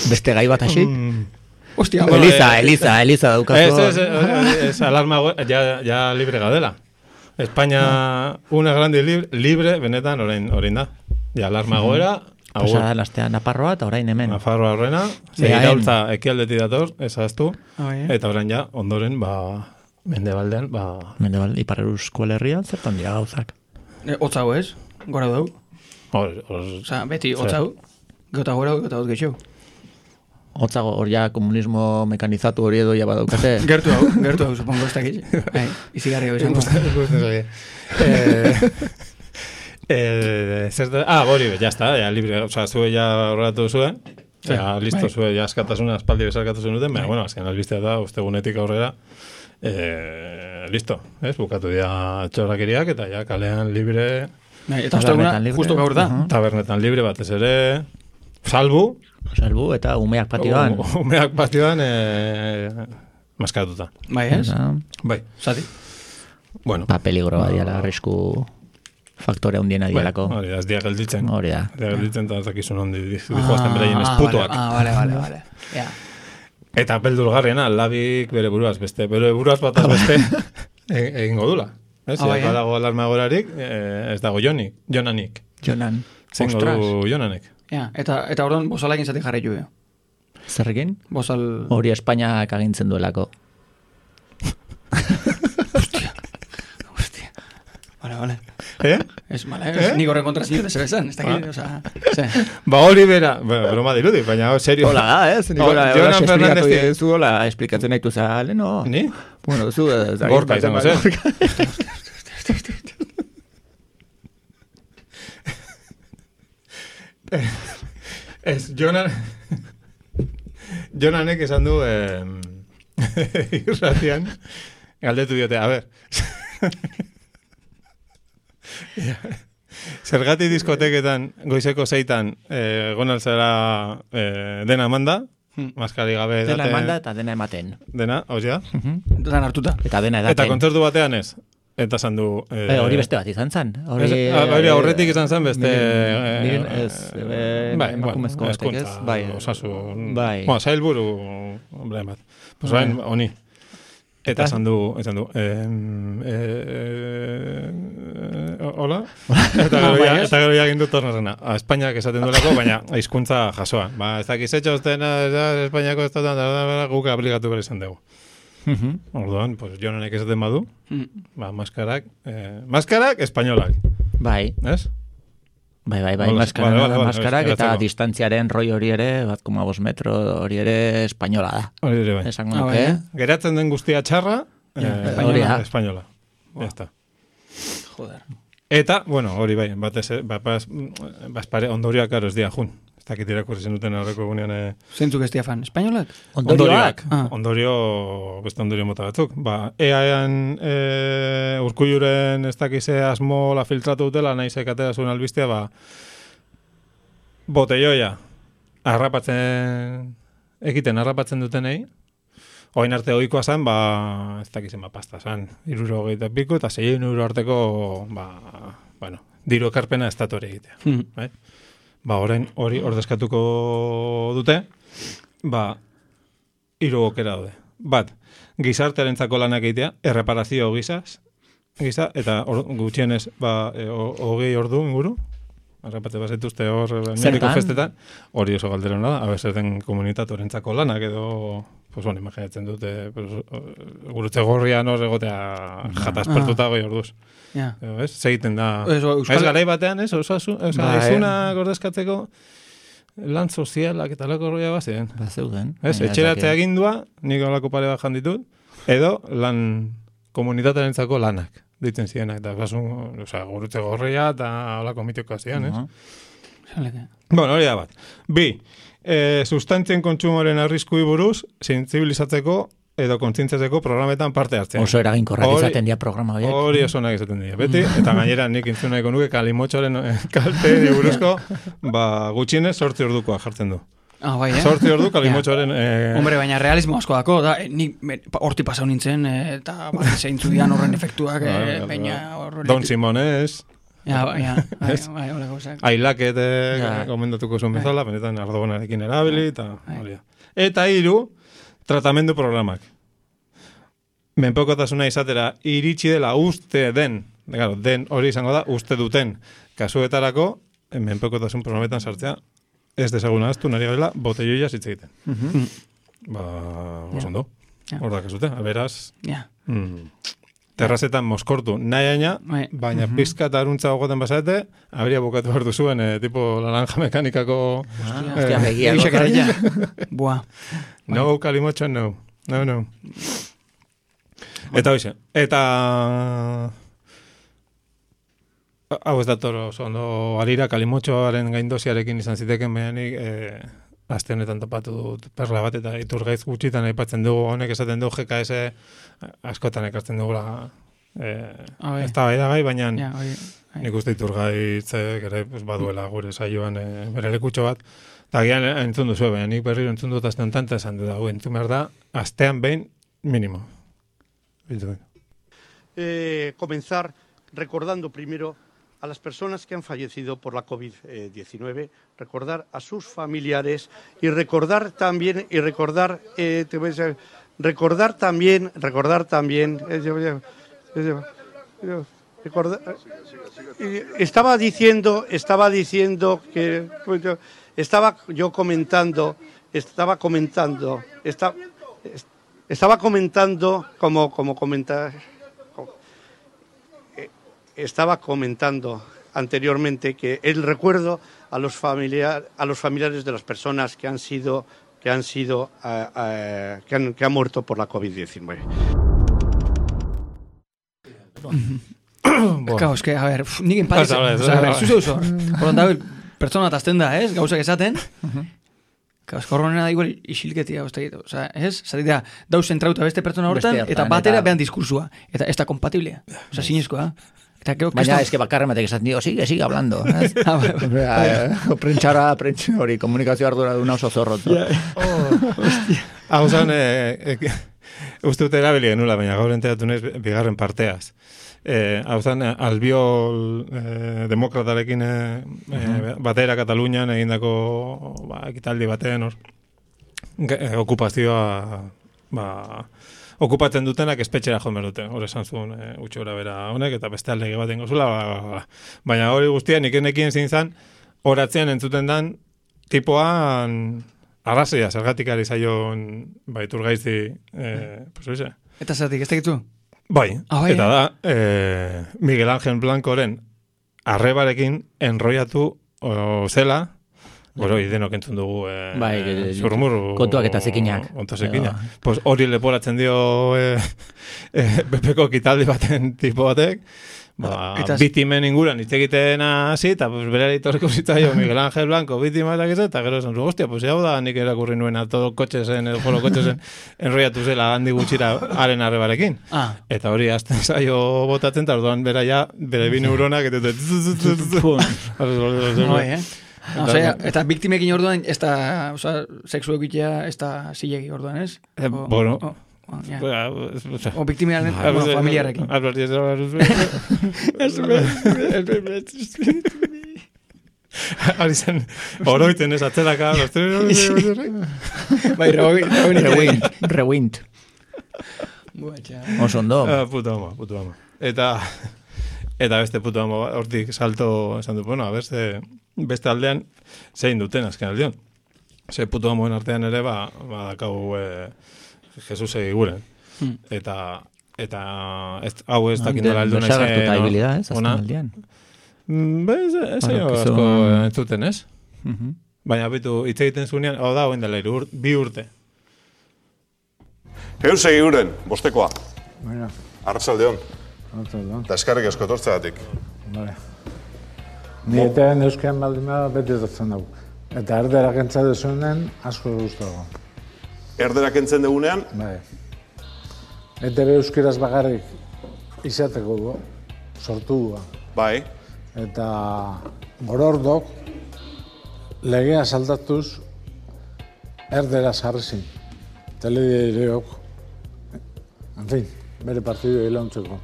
Beste gai bat hasi? Hostia, Eliza daukazu. Ez alarma, ja libre gaudela. España, una grande libre, benetan orain da. Ja alarma goera. Pasada lastea Nafarroa eta orain hemen. Nafarroa horrena. Iraultza ekialdetik dator, ezaztu. Eta orain ja, ondoren, Mendebaldean, Mendebal, Ipar-Euskal Herrian, zertan dira gauzak. Otzau ez? Gora dau? Osa, beti, otzau. Gota gora, gota hot geixeu. Otzago, hor ja komunismo mekanizatu hori edo ja badaukate. Gertu hau, supongo, ez dakit. Izigarri hau izango. Hori, ya está, ya libre, o sea, zue ya horratu zuen, ya listo, zue ya askatasuna, espaldi bezarkatu zuen duten, baina, bueno, azken albistea da, ustegunetik aurrera, listo, ez, bukatu dira txorrakiriak, eta ja kalean libre... Eta usteguna, justo gaur da. Tabernetan libre batez ere, salbu, eta umeak patioan. Umeak patioan maskatuta. Bai, ez? Bai. Zati? Bueno. Peligro badiala, arrisku faktore hundiena dialako. Hori da, ez dia gelditzen. Hori da. Ez dia gelditzen, eta ez dakizun hondi dihoazten beraien esputuak. Vale. Eta beldurgarriena, labik bere buruaz beste. Bere buruaz bataz beste egingo dula. Ez dago alarma gorarik, ez dago Jonanik. Jonan. Zengo du Jonanek. Eta orduan bozalakin zati jarri jo. Zerrekin? Bozal... Hori Espainiak agintzen duelako. Hostia. Vale. Ez, nik horren kontra zinio dese bezan, ez dakit, oza... Hori bera, broma dirudi, baina serio. Hola da, ez? Jonan Fernandez zu hola esplikatzen nahi zale, no? Ni? Bueno, zu... Gorka izango zen. Ez, Jonanek esan du irratian galdetu diote, a ver zergati diskoteketan goizeko 6 gonaltzera dena emanda maskari gabe dena emanda eta dena ematen dena, hozia? Dena hartuta eta dena edaten eta kontzertu batean ez eta esan du... hori beste bat izan zan. Hori aurretik izan zan beste... Miren ez, emakumezko batek ez. Bai, osasun... Bai. Zailburu, hombre, bat. Pues bain, honi. Eta esan du... Hola? Eta gero jagin du tornazena. Espainiak esaten duelako, baina hizkuntza jasoa. Ez dakiz etxoztena, Espainiako estatuan, guk aplikatu behar izan dugu. Orduan, pues Jonanek esaten badu, maskarak espainolak. Bai. Ez? Bai, maskarak eta distantziaren roi hori ere, 1,5 metro hori ere espainola da. Hori ere bai. Esango nuke. Geratzen den guztia txarra, espainola. Ya está. Joder. Eta, bueno, hori bai, ondorioak karo ez dia jun. Ez dakit irakurri zenuten horreko egunean... Zentzuk ez diafan, espainolak? Ondorioak. Beste ondorio mota batzuk. EAEan Urkulluren ez dakize asmo la filtratu dutela, nahi sekatera zuen albistea, botelloia harrapatzen dutenei, oin arte ohikoa zan, ez dakizen pasta zan, 60 piku, eta 6 euro arteko, diru ekarpena estatuari egitea. Bai? Ba, orain hori ordezkatuko dute, ba, 3 aukera daude. Bat, gizartearentzako lanak egitea, erreparazio gisa, eta gutxienez, ba, 20 ordu inguru, arrapate bazituzte hor mediko festetan, hori oso galderona da, abezerten komunitatorentzako lanak edo, pues bueno, imaginatzen dute, gurutze gorrian hor egotea jataspertuta 20 orduz. Ez? Segiten da. Ez garai batean, ez? Izuna gordezkatzeko lan sozialak eta lako horria bazien. Bazeuden. Ez? Etxeratzea agindua, nik olako pare bat janditut, edo lan komunitatearentzako lanak ditzen zirenak, eta gurutze gorria eta olako mitiko ziren, ez? Bueno, hori da bat. 2, sustantzien kontsumoren arriskui buruz, sentsibilizatzeko edo kontzientziatzeko programetan parte hartzea. Oso eraginkorrak izaten dira programa horiek. Hori oso nahi izaten dira, beti, eta gainera nik intzun nahiko nuke kalimotxoren kalte buruzko, ba, gutxienez 8 ordukoa jartzen du. Bai, 8 ordu kalimotxoaren... Hombre, baina realismo asko dako, da, nik horti pasau nintzen, eta zeintzu dian horren efektuak, baina horren... Don Simones... Bai, hola gauzak. Ailaket gomendatuko zuen bezala, benetan ardogonarekin erabili, eta hori da. Eta 3, tratamendu programak. Menpekotasuna izatera iritsi dela uste den hori izango da, uste duten kasuetarako, menpekotasun programetan sartzea, ez desaguna aztu nari gabela, botelloia zitze egiten. Ba, osondo. Hor da kasute, beraz... Terrazetan moskortu nahi aina, baina pizka eta aruntza gogoten basate, habría bukatu behar duzuen, tipo laranja mekanikako... Hostia, begia. Buah. No, Kalimocho, no. No. Eta hoxe. Eta... Hau ez dator oso ondo harira, Kalimochoaren gaindosiarekin izan ziteken behanik, aste honetan topatu dut perla bat, eta Iturgaiz gutxitan aipatzen dugu, honek esaten du GKS askotan ekartzen dugula ez da bai da gai, baina nik uste Iturgaiz ere baduela gure saioan bere lekutxo bat, eta gian entzun duzu, baina nik berriro entzun dut aste honetan, eta esan dut entzun behar da, astean behin mínimo. Comenzar recordando primero a las personas que han fallecido por la COVID-19, recordar a sus familiares y recordar también estaba diciendo que estaba comentando estaba comentando anteriormente que el recuerdo a los familiares de las personas que han muerto por la COVID-19. Claro, es que, a ver, nik empatez, zuzo, horan pertsona tazten da, ez, gauzak esaten, korronena da igual isilketia, ez, zatea, dauz zentrauta beste pertsona hortan, eta batera behan diskursua, eta ez da kompatiblea, sinizkoa. Baina ez que bakarren batek esaten dio, sigue hablando. Prentxara hori, komunikazio ardura duna oso zorrotzo. Hau zan, uste dut erabili genula, baina gaur enteratu nez bigarren parteaz. Hau zan, albiol demokratarekin batera Katalunian egindako ekitaldi batean okupazioa okupatzen dutenak espetxera joan behar dute. Hor esan zuen utxora bera honek, eta beste aldege bat ingozula. Baina hori guztia nik enekien zintzan, horatzean entzuten dan, tipoan arrazoia, zergatik ari zaion Iturgaizi, pues oize. Eta zergatik, ez tekitu? Bai, eta da, Miguel Ángel Blancoren arrebarekin enroiatu zela, Goro, idenok entzun dugu zurmuru... Kontuak eta zekinak. Pues hori leporatzen dio Bepeko kitaldi baten tipo batek, bitimen inguran hitz egiten hasi, eta bera itorreko zitzaio Miguel Ángel Blanco bitima eta gero esan zu, hostia, pues hau da nik erakurri nuena todo kotxesen, edo jolo kotxesen enroiatu zela handi gutxira haren arrebarekin. Eta hori azten zaio botatzen, eta orduan bera ja, bere bi neuronak, eta eta biktimekin orduan, ez da, sexu egitea, ez da zilegi orduan, ez? Bueno, O biktimaren familiarekin. Ari zen, oroiten ez atzeraka. Bai, Rewind. Oso ondo. Puto ama. Eta beste puto ama hortik salto esan du, bueno, beste aldean zein duten azken aldean. Ze puto amoen artean ere, dakau Jesus egiguren. Eta hau ez dakin dela aldu nahi zen. Habilidad, ez, azken aldean. Ez asko entzuten, ez? Baina bitu, hitz egiten zunean, hau da, hoen dela 2 urte. Eus egiguren, bostekoa. Baina. Arratsaldeon. Arratsaldeon. Da eskarrik asko tortzegatik. Bale. Ni etean euskean baldima beti dutzen dugu. Eta erdera kentza dezuenen asko guztago. Erdera kentzen dugunean? Bai. ETB euskeraz bakarrik izateko du, sortu du. Bai. Eta gorordok legea saldatuz erdera sarrizin. Teledireok. En fin, bere partidu ilauntzeko.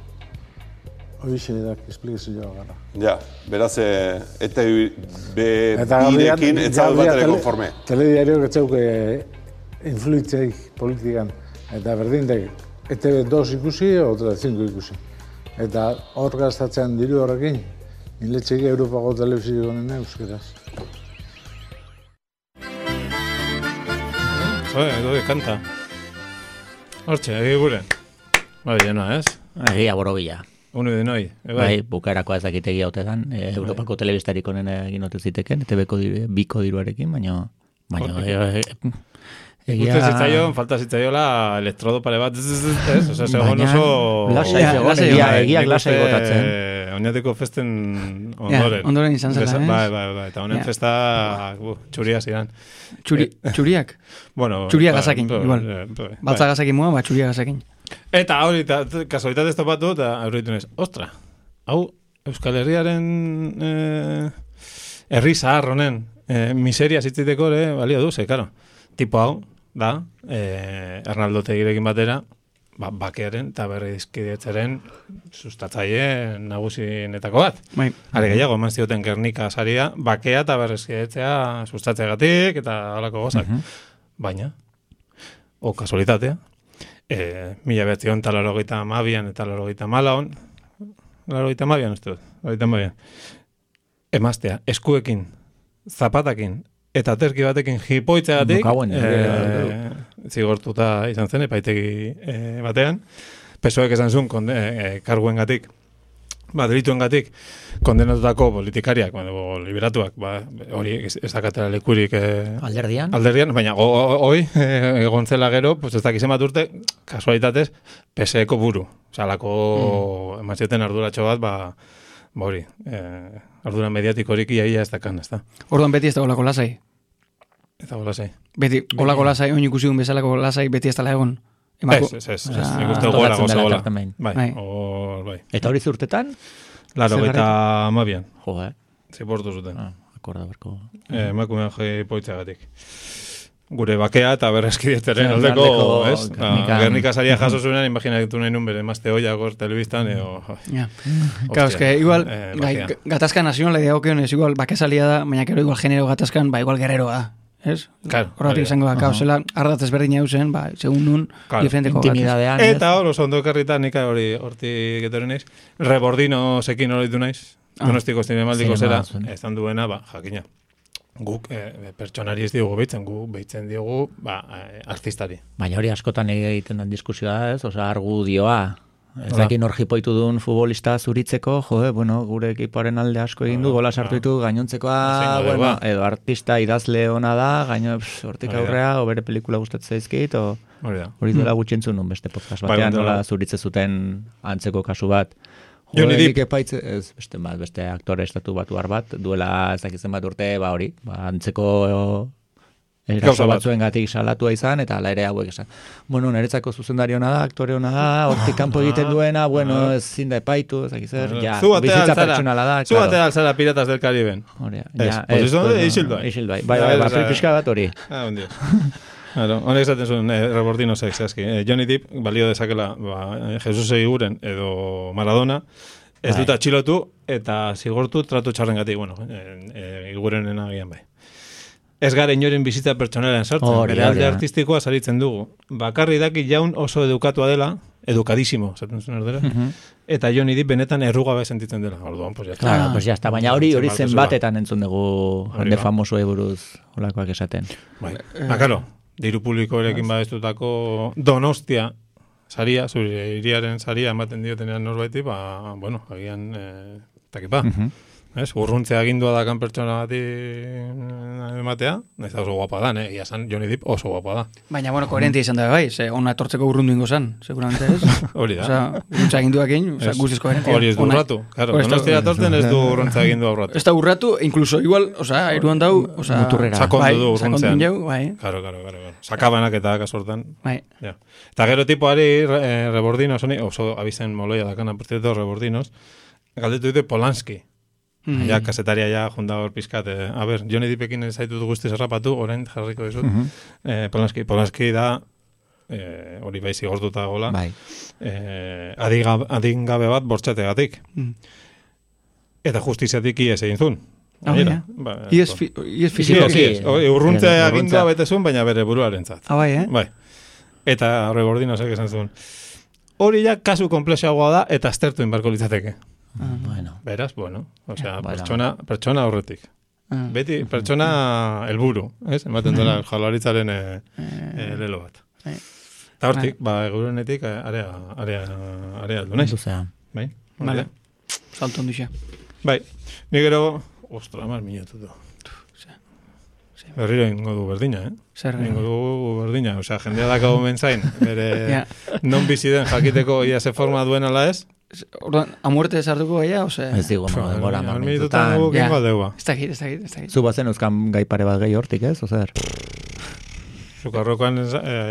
Hoixe da esplikazioa gara. Ja, beraz, ETB birekin etzago bat ere konforme. Telediarioak etzeuke influitzeik politikan. Eta berdin da, ETB 2 ikusi, otra 5 ikusi. Eta hor gastatzen diru horrekin, niletxeik Europako telebizio honen euskeraz. Edo kanta. Hortxe, egiguren. Bai, jena, ez? Egia borobila. Unu de noi. Bai, bukaerako ezakitegi hautetan. Europako telebistarik honen egin ote ziteken, ETB-ko biko diruarekin, baina egia... Falta zitzaiola elektrodo pare bat, ez? Osa, segon oso... Egia glasai gotatzen. Oinateko festen ondoren. Ondoren izan zela, ez? Bai. Eta honen festa txuria zidan. Txuriak? Bueno... Txuria gazakin, igual. Baltza gazakin mua, txuria gazakin. Eta hori, kasualitatez topatu, eta aurritu nez, ostra, hau Euskal Herriaren herri zahar honen miseria zitziteko balio du, karo. Tipo hau, da, Arnaldo Tegirekin batera, bakearen eta berrizkidetzaren sustatzaile nagusienetako bat. Are gehiago, eman zioten Gernika saria, bakea eta berrizkidetzea sustatzeagatik eta halako gozak. Baina, kasualitatea, 1982an eta 1984an, 1982an, uste dut, 1982an, emaztea, eskuekin, zapatakin, eta terki batekin jipoitzeagatik, zigortuta izan zen, epaitegi batean, PSOEk esan zuen karguengatik, delituengatik, kondenatutako politikariak, liberatuak, hori ez dakatera lekurik alderdian, baina hoi, egon zela gero, ez dakizen bat urte, kasualitatez, PSeko buru. Salako emazioten arduratxo bat, hori, ardura mediatikorik iaia ez dakan, ez da. Orduan beti ez da olako lasai? Ez da lasai. Beti, olako lasai, oin ikusi duen bezalako lasai beti ez da egon? Ez, nik uste gola gola. Bai. Eta hori zurtetan? 82an. Jo, Ziportu zuten. Akorda berko. Emakumean jipoitzeagatik. Gure bakea eta berrezkidetzaren aldeko, ez? Gernika saria jaso zuenan, imaginatu nahi nun bere emazte hoia gor telebistan, Claro, es que igual, gatazka nazionala dagokionez, igual bake salia da, baina kero igual genero gatazkan, igual guerreroa da. Ez? Horretik izango da, zela ardatez berdina eusen, segun nun, diferenteko intimidadean. Eta hor, oso ondo ekarrita, nika hortik etorri naiz, Rebordino sekin horitu naiz, Donostiko zinemaldiko zera, ezan duena, jakina. Guk pertsonari ez diogu behitzen, guk behitzen diogu artistari. Baina hori askotan egiten den diskusioa, ez? Osa, argudioa. Ez dakin hor jipoitu duen futbolista zuritzeko, gure ekipoaren alde asko egin du, gola sartu ditu, gainontzekoa, edo artista idazle ona da, gaino hortik aurrea, o bere pelikula gustatzen zaizkit, hori duela gutxientzun nun beste podcast batean, nola zuritze zuten antzeko kasu bat. Nik epaitze, beste aktore estatu batuar bat, duela ez dakitzen bat urte, hori, antzeko eraso batzuen gatik salatua izan, eta ala ere hauek esan. Neretzako zuzendari hona da, aktore hona da, hortik kanpo egiten duena, ez zinda epaitu, ez dakizer, bizitza pertsonala da. Zu batea alzara Piratas del Cariben. Ez, Isilduai. Bai, pixka bat hori. Claro, honek esaten zuen, Rebordino zehazki. Johnny Depp balio dezakela Jesus Eguiguren edo Maradona, ez dut atxilotu eta zigortu tratu txarrengatik, bueno, Eguigurenen agian bai. Ez gara inoren bizitza pertsonalean sartzen, bere alde artistikoa saritzen dugu. Bakarri daki jaun oso edukatua dela, edukadísimo, esaten zuen erdera, eta Johnny Depp benetan errugabe sentitzen dela. Orduan, pues ya está. Claro, pues ya está. Baina hori zenbatetan entzun dugu jende famosoei buruz olakoak esaten. Bai. Claro, diru publikoarekin badestutako Donostia saria, zure hiriaren saria ematen diotenean norbaiti, bueno, agian takipa. Urruntzea agindua dakan pertsona bati ematea, ez da oso guapa da, ia san Johnny Depp oso guapa da. Baina, bueno, koherentia izan da bai, ona etortzeko urrundu ingo zan, seguramente ez. Hori da. Osa, urruntza aginduakin, guztiz koherentia. Hori ez du urratu, claro, Donostia etortzen ez du urruntza agindua urratu. Ez da urratu, incluso igual, eruan dau, sakondu du urruntzean. Bai. Claro. Sakabanak eta kasortan. Bai. Eta gero tipoari, Rebordinos, oso abizen moloia dakana, por cierto, Rebordinos, galdetu dute Polanski. Ja, kasetaria ja, junda hor pizkat. A ber, Johnny Deppekin zaitut guztiz errapatu, orain jarriko dizut. Polanski da, hori bai zigortuta gola, adingabe bat bortxategatik. Eta justiziatik ies egin zuen. Ies fizikoki. Urruntzea agindua betezun, baina bere buruarentzat. Bai. Eta Rebordinosek esan zuen. Hori ja kasu komplexagoa da, eta aztertu inbarko litzateke. Beraz, bueno, pertsona horretik. Beti, pertsona helburu, ez? Ematen dela Jaurlaritzaren lelo bat. Eta hortik, egurenetik area aldu naiz. Bai? Vale. Salto ondixa. Bai, ni gero, ostra, mar minutu du. Berriro ingo du berdina, Zer ingo du berdina, osea, jendea dakago mentzain, bere non bizi den jakiteko ia ze forma duen ala ez? Orduan, a muerte sartuko gaia, ose? Ez digo, demora, minututan gukingo deua. Ez dakit. Zu bazen euskan gai pare bat gehi hortik, ez? Ozer? Zukarrokoan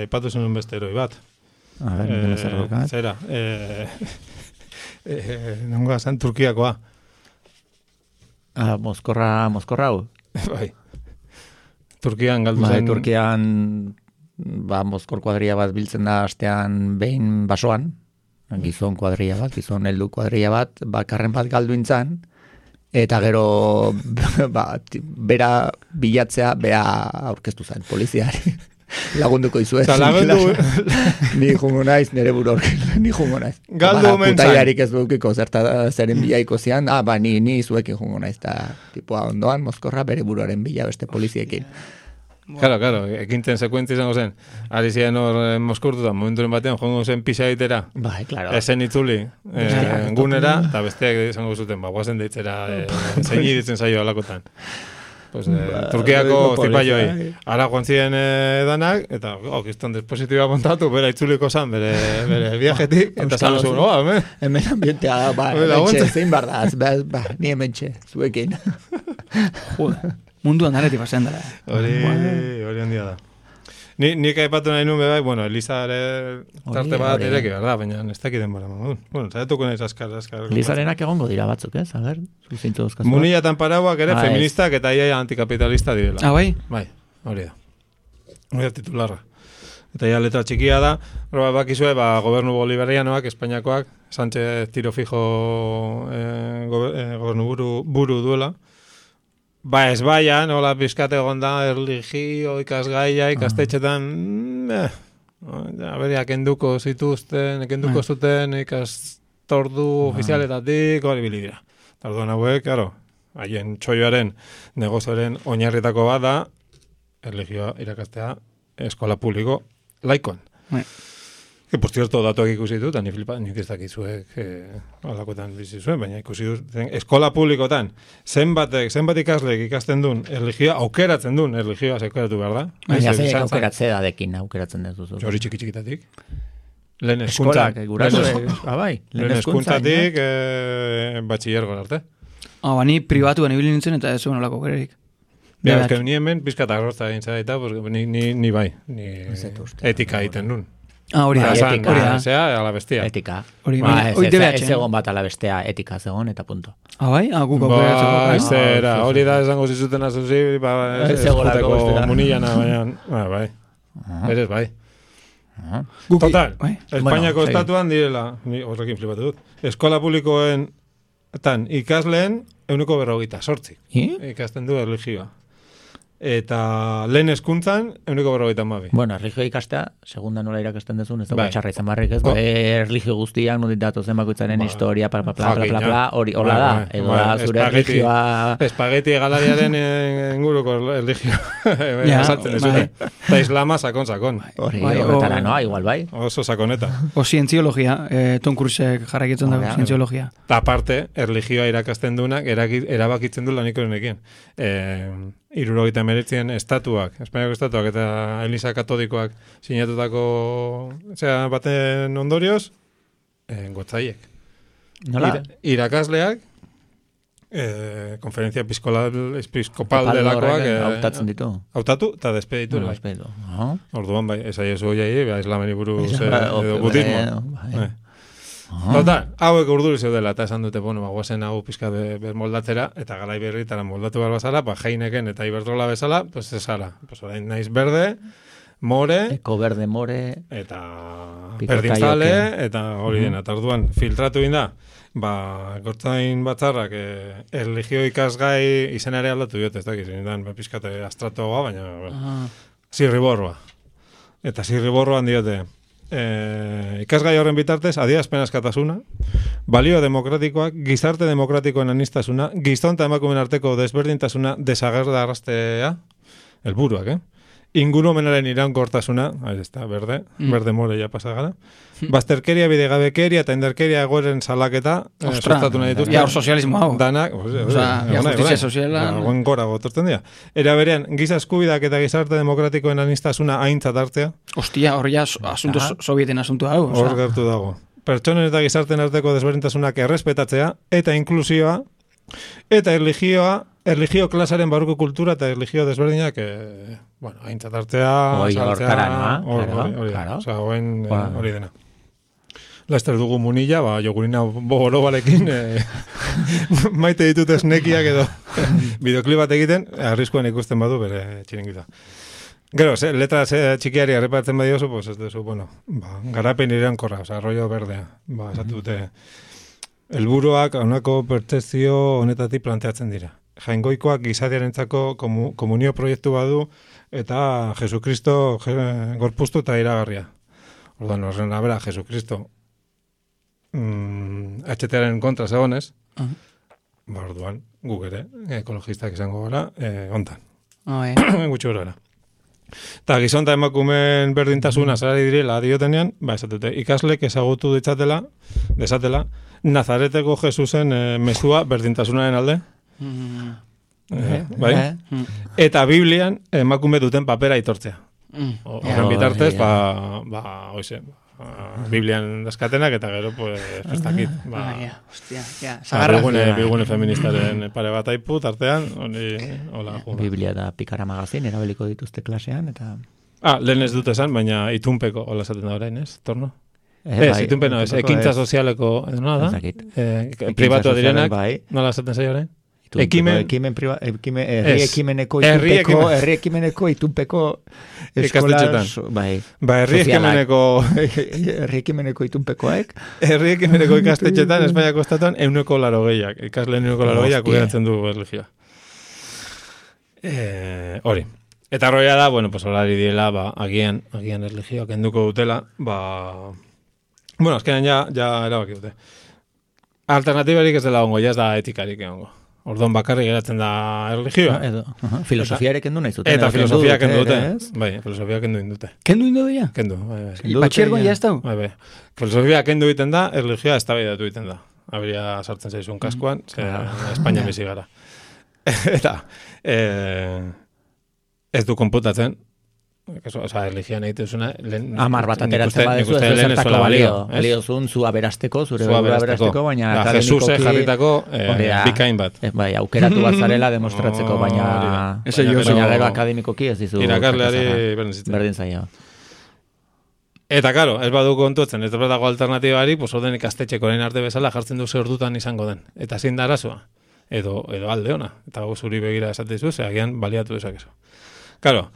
ipatu zenun beste heroi bat. A ver, zerrokan. Zera, nongo zan Turkiakoa. Moskorra hau? Bai. Turkian galdu zen. Turkian, Moskor kuadria bat biltzen da astean behin basoan, gizon kuadria bat, gizon heldu kuadria bat, bakarren bat galdu intzan, eta gero bera bilatzea, bea aurkeztu zen poliziari. Lagunduko izuet. Ni jungo naiz, nire buru ni jungo naiz. Galdu mentzan. Putaiarik ez dukiko zeren bilaiko zian, ni zuekin jungo naiz, eta tipua ondoan, Moskorra bere buruaren bila beste poliziekin. Claro, ekintzen sekuentzia izango zen. Ari ziren hor Moskortutan, momenturen batean, joango zen pisa egitera. Bai, claro. Esen itzuli, gunera, eta besteak izango zuten, guazen deitzera, zein ditzen zaio alakotan. Pues, Turkiako zipaioei. Ara joan ziren danak, eta kiston dispositiba montatu, bera itzuliko zan, bere viajetik, eta zan zuen, hemen ambientea, zein bardaz, ni hemen txe, zuekin. Munduan daretik bazen dara. Hori handia da. Nik aipatu nahi nuen bai, bueno, Elizare tarte bat ireki, berda, baina ez dakiten bara. Bueno, zaituko nahiz askar. Elizarenak egongo dira batzuk, ez? A ver, zuzintzu dozkazua. Munillatan parauak ere feministak eta ia antikapitalista direla. Bai? Bai, hori da. Hori da titularra. Eta ja letra txikia da, bakizue, gobernu bolivarianoak, Espainiakoak, Sánchez tiro fijo gobernu buru duela. Ez baian, hola pizkate gonda, erligio, ikasgaia, ikastetxetan, aberiak enduko zituzten, enduko zuten ikastordu ofizialetatik, hori bilidira. Tarduan hauek, haien txoioaren negozioaren oinarritako bat da, erligioa irakastea eskola publiko laikoan. Que, por cierto, datuak ikusi dut, ni flipa, nik ez dakizuek alakotan bizi zuen, baina ikusi dut, eskola publikotan, zenbat ikaslek ikasten duen, erligioa, aukeratzen duen, erligioa aukeratu behar da. Baina aukeratzea dadekin, aukeratzen dut duzu. Hori txikitatik. Lehen eskuntzatik, batxillergon arte. Ni pribatuan ibili nintzen eta ez zuen olako aukererik. Ni hemen pizkata arrozta egin zadaita, ni bai, etika egiten duen. Hori da, ala bestia. Etika. Ez egon bat ala bestea, etika zegoen eta punto. Bai? Guk aukeratzeko. Hori da esango zizuten azuzi, ez egoteko munillana, baina, bai. Berez, bai. Guk- Total, bai. Espainiako Bueno, estatuan direla, ni horrekin flipatu dut, eskola publikoen ikasleen 148 ikasten du erlijioa. Eta lehen hezkuntzan 152. Bueno, erlijio ikastea, segunda nola irakasten dezun, ez da Bai. txarra izan barrik, ez? Erlijio guztiak, nondik datozen bakoitzaren historia, hori, hola da, edo da zure erlijioa... Espageti galariaren inguruko erlijioa asaltzen dezute. Eta islama sakon. Hori, horretara, noa, igual bai. Oso sakoneta. O zientziologia, Tom Cruisek jarrakitzen dago, zientziologia. Eta aparte, erlijioa irakasten duenak erabakitzen du lanikorenekin. 79 estatuak, Espainiako estatuak eta Eliza Katolikoak sinatutako baten ondorioz, gotzaiek. Nola? Irakasleak, konferentzia episkopal delakoak hautatzen ditu. Hautatu eta despeditu. Orduan bai, esaiezu jai, islameni buruz edo budismo. Total, hauek urduri zeudela, eta esan dute, guazen hau pizka moldatzera, eta garai berritara moldatu behar bazala, Heineken eta Iberdrola bezala, pues esala. Pues orain naiz berde, more, Eko berde more, eta berdinzale, eta hori dena. Eta orduan, filtratu inda, gortzain batzarrak erlijio ikasgai izenare aldatu diote, ez dakiz, zindan, pizkate astratoa, baina zirriborroa. Eta zirriborroan diote, ikasgai horren bitartez, adierazpen askatasuna, balio demokratikoak, gizarte demokratikoen anistasuna, gizon eta emakumeen arteko desberdintasuna desagerraraztea, helburuak, ingurumenaren iraunkortasuna, berde more ja pasa gara, bazterkeria, bidegabekeria eta indarkeria egoeren salaketa, sustatu nahi dituzte. Ja, hor sozialismo hau. Danak, justizia soziala. Guen gora gotortzen dira. Era berean, giza eskubidak eta gizarte demokratikoen anistasuna aintzat hartzea. Ostia, hor ja asunto sovieten asunto hau. Hor gertu dago. Pertsonen eta gizarten arteko desberdintasunak errespetatzea, eta inklusioa, eta erlijio klasaren barruko kultura eta erlijio desberdinak, aintzat hartzea, hori dena. Laster dugu munila, jogurina bogoro balekin, maite ditut esnekiak edo bideoklip bat egiten, arriskuan ikusten badu bere txiringita. Gero, letra txikiari arrepatzen badiozu, pues ez duzu, garapen iraunkorra, rollo berdea, esatu dute. Helburuak honako pertzepzio honetatik planteatzen dira. Jaingoikoak gizadiarentzako komunio proiektu badu eta Jesukristo gorpuztu eta iragarria. Orduan, horren abera, Jesukristo HTaren kontra zegonez, orduan, guk ere, ekologistak izango gara, ontan. Gutxi gara. Eta gizon eta emakumeen berdintasuna zerari direla diotenean, esatute, ikaslek ezagutu desatela, Nazareteko Jesusen mezua berdintasunaren alde. Bai? Eta Biblian emakume duten papera aitortzea. Horren bitartez, Biblian daskatenak eta gero, ez dakit. Bigune feministaren pare bat aiput artean, Biblia da Pikara magazin, erabiliko dituzte klasean, eta... Lehen ez dut esan, baina itunpeko, hola esaten da orain, ez? Torno? Itunpe no, ekintza sozialeko, edo nola da? Pribatua direnak, nola esaten zaio orain? Herri ekimeneko itunpeko eskola, herri ekimeneko itunpekoek. Herri ekimeneko ikastetxetan, Espainiako estatuan, 180, ikasleen 180 kudeatzen du erlijioa. Hori. Eta roia da, holari diela, agian erlijioak enduko dutela, azkenean ja erabaki dute. Alternatibarik ez dela ongo, ja ez da etikarik ongo. Orduan bakarrik geratzen da erlijioa. Filosofiarek kendu nahi zuten. Eta filosofia kendu dute. Bai, filosofia kendu indute. Kendu indu dira? Kendu, bai. Batxergoan ja ez dau? Bai. Filosofia kendu egiten da, erlijioa ez tabaidatu egiten da. Habria sartzen zaizun kaskoan, Espainia bizi gara. Eta, ez du konputatzen, erlijioan egiten zuna... Amar bat ateratzen badezu, ez zertako balio. Baliozun, zu aberasteko, zure burua aberasteko, baina akademikoki... Jesus jarritako bikain bat. Bai, aukeratu bat zarela demostratzeko, baina gero akademikoki ez dizu... Irakasleari berdin zaio. Eta, karo, ez badu kontuetzen, ez dago alternatibari, orden ikastetxeko orain arte bezala jartzen du ze ordutan izango den. Eta zein da arazoa. Edo alde ona. Eta zuri begira esatezu, agian baliatu dezakezu. Claro,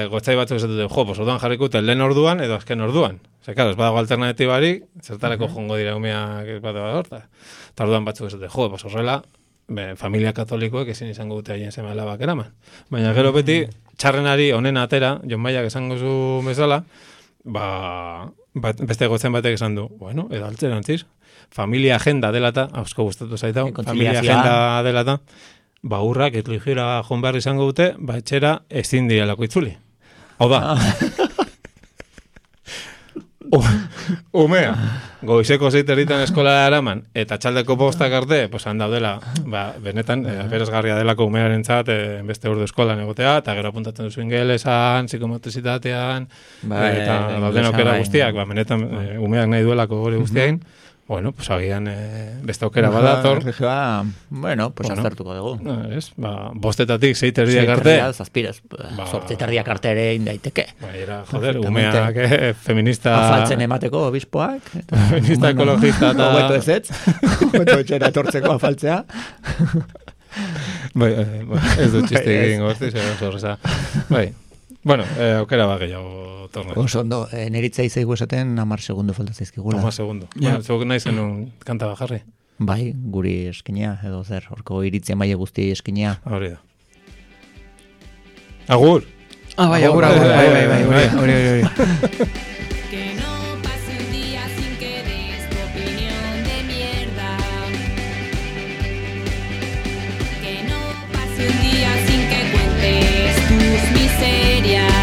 gotzai batzu esatute, pues orduan jarriko eta lehen orduan edo azken orduan. Zer, claro, ez badago alternatibarik, zertarako jongo dira umeak bat horta. Eta orduan batzu esatute, pues horrela, familia katolikoek ezin izango dute haien seme alabak eraman. Baina gero beti, txarrenari honen atera, Jon Maiak esango zu bezala, beste gotzen batek esan du, bueno, edo altzerantziz, familia agenda delata, hausko gustatu zaitau, familia agenda delata, urrak etligera joan behar izango dute, etxera ezin direlako itzuli. Hau da. Umea, goizeko zeiterritan eskola eraman, eta txaldeko postak arte, han daudela, benetan, beresgarria delako umearentzat, beste urdu eskolan egotea, eta gero apuntatzen duzu ingelesan, psikomotricitatean, eta dauden aukera guztiak, benetan, umeak nahi duelako gure guztiain, bueno, agian beste aukera badator. Bueno, aztertuko dugu. Ez, bostetatik zeiterdiak arte. Zazpirez, zortziterdiak arte ere indaiteke. Era, joder, umeak, feminista... Afaltzen emateko obispoak. Feminista ekologista eta... Obeto ez, obeto etxera etortzeko afaltzea. Ez du txiste egin gortiz, horreza. Bueno, aukera gehiago torna. Oso ondo, neritzei zeigu esaten 10 segundo falta zaizkigula. 10 segundo. Zuek nahi zenun kanta bajarri? Bai, guri eskinea, edo zer, horko iritzia maile guzti eskinea. Hori da. Agur! Bai, agur. Hori. Un día sin que cuentes tus miserias.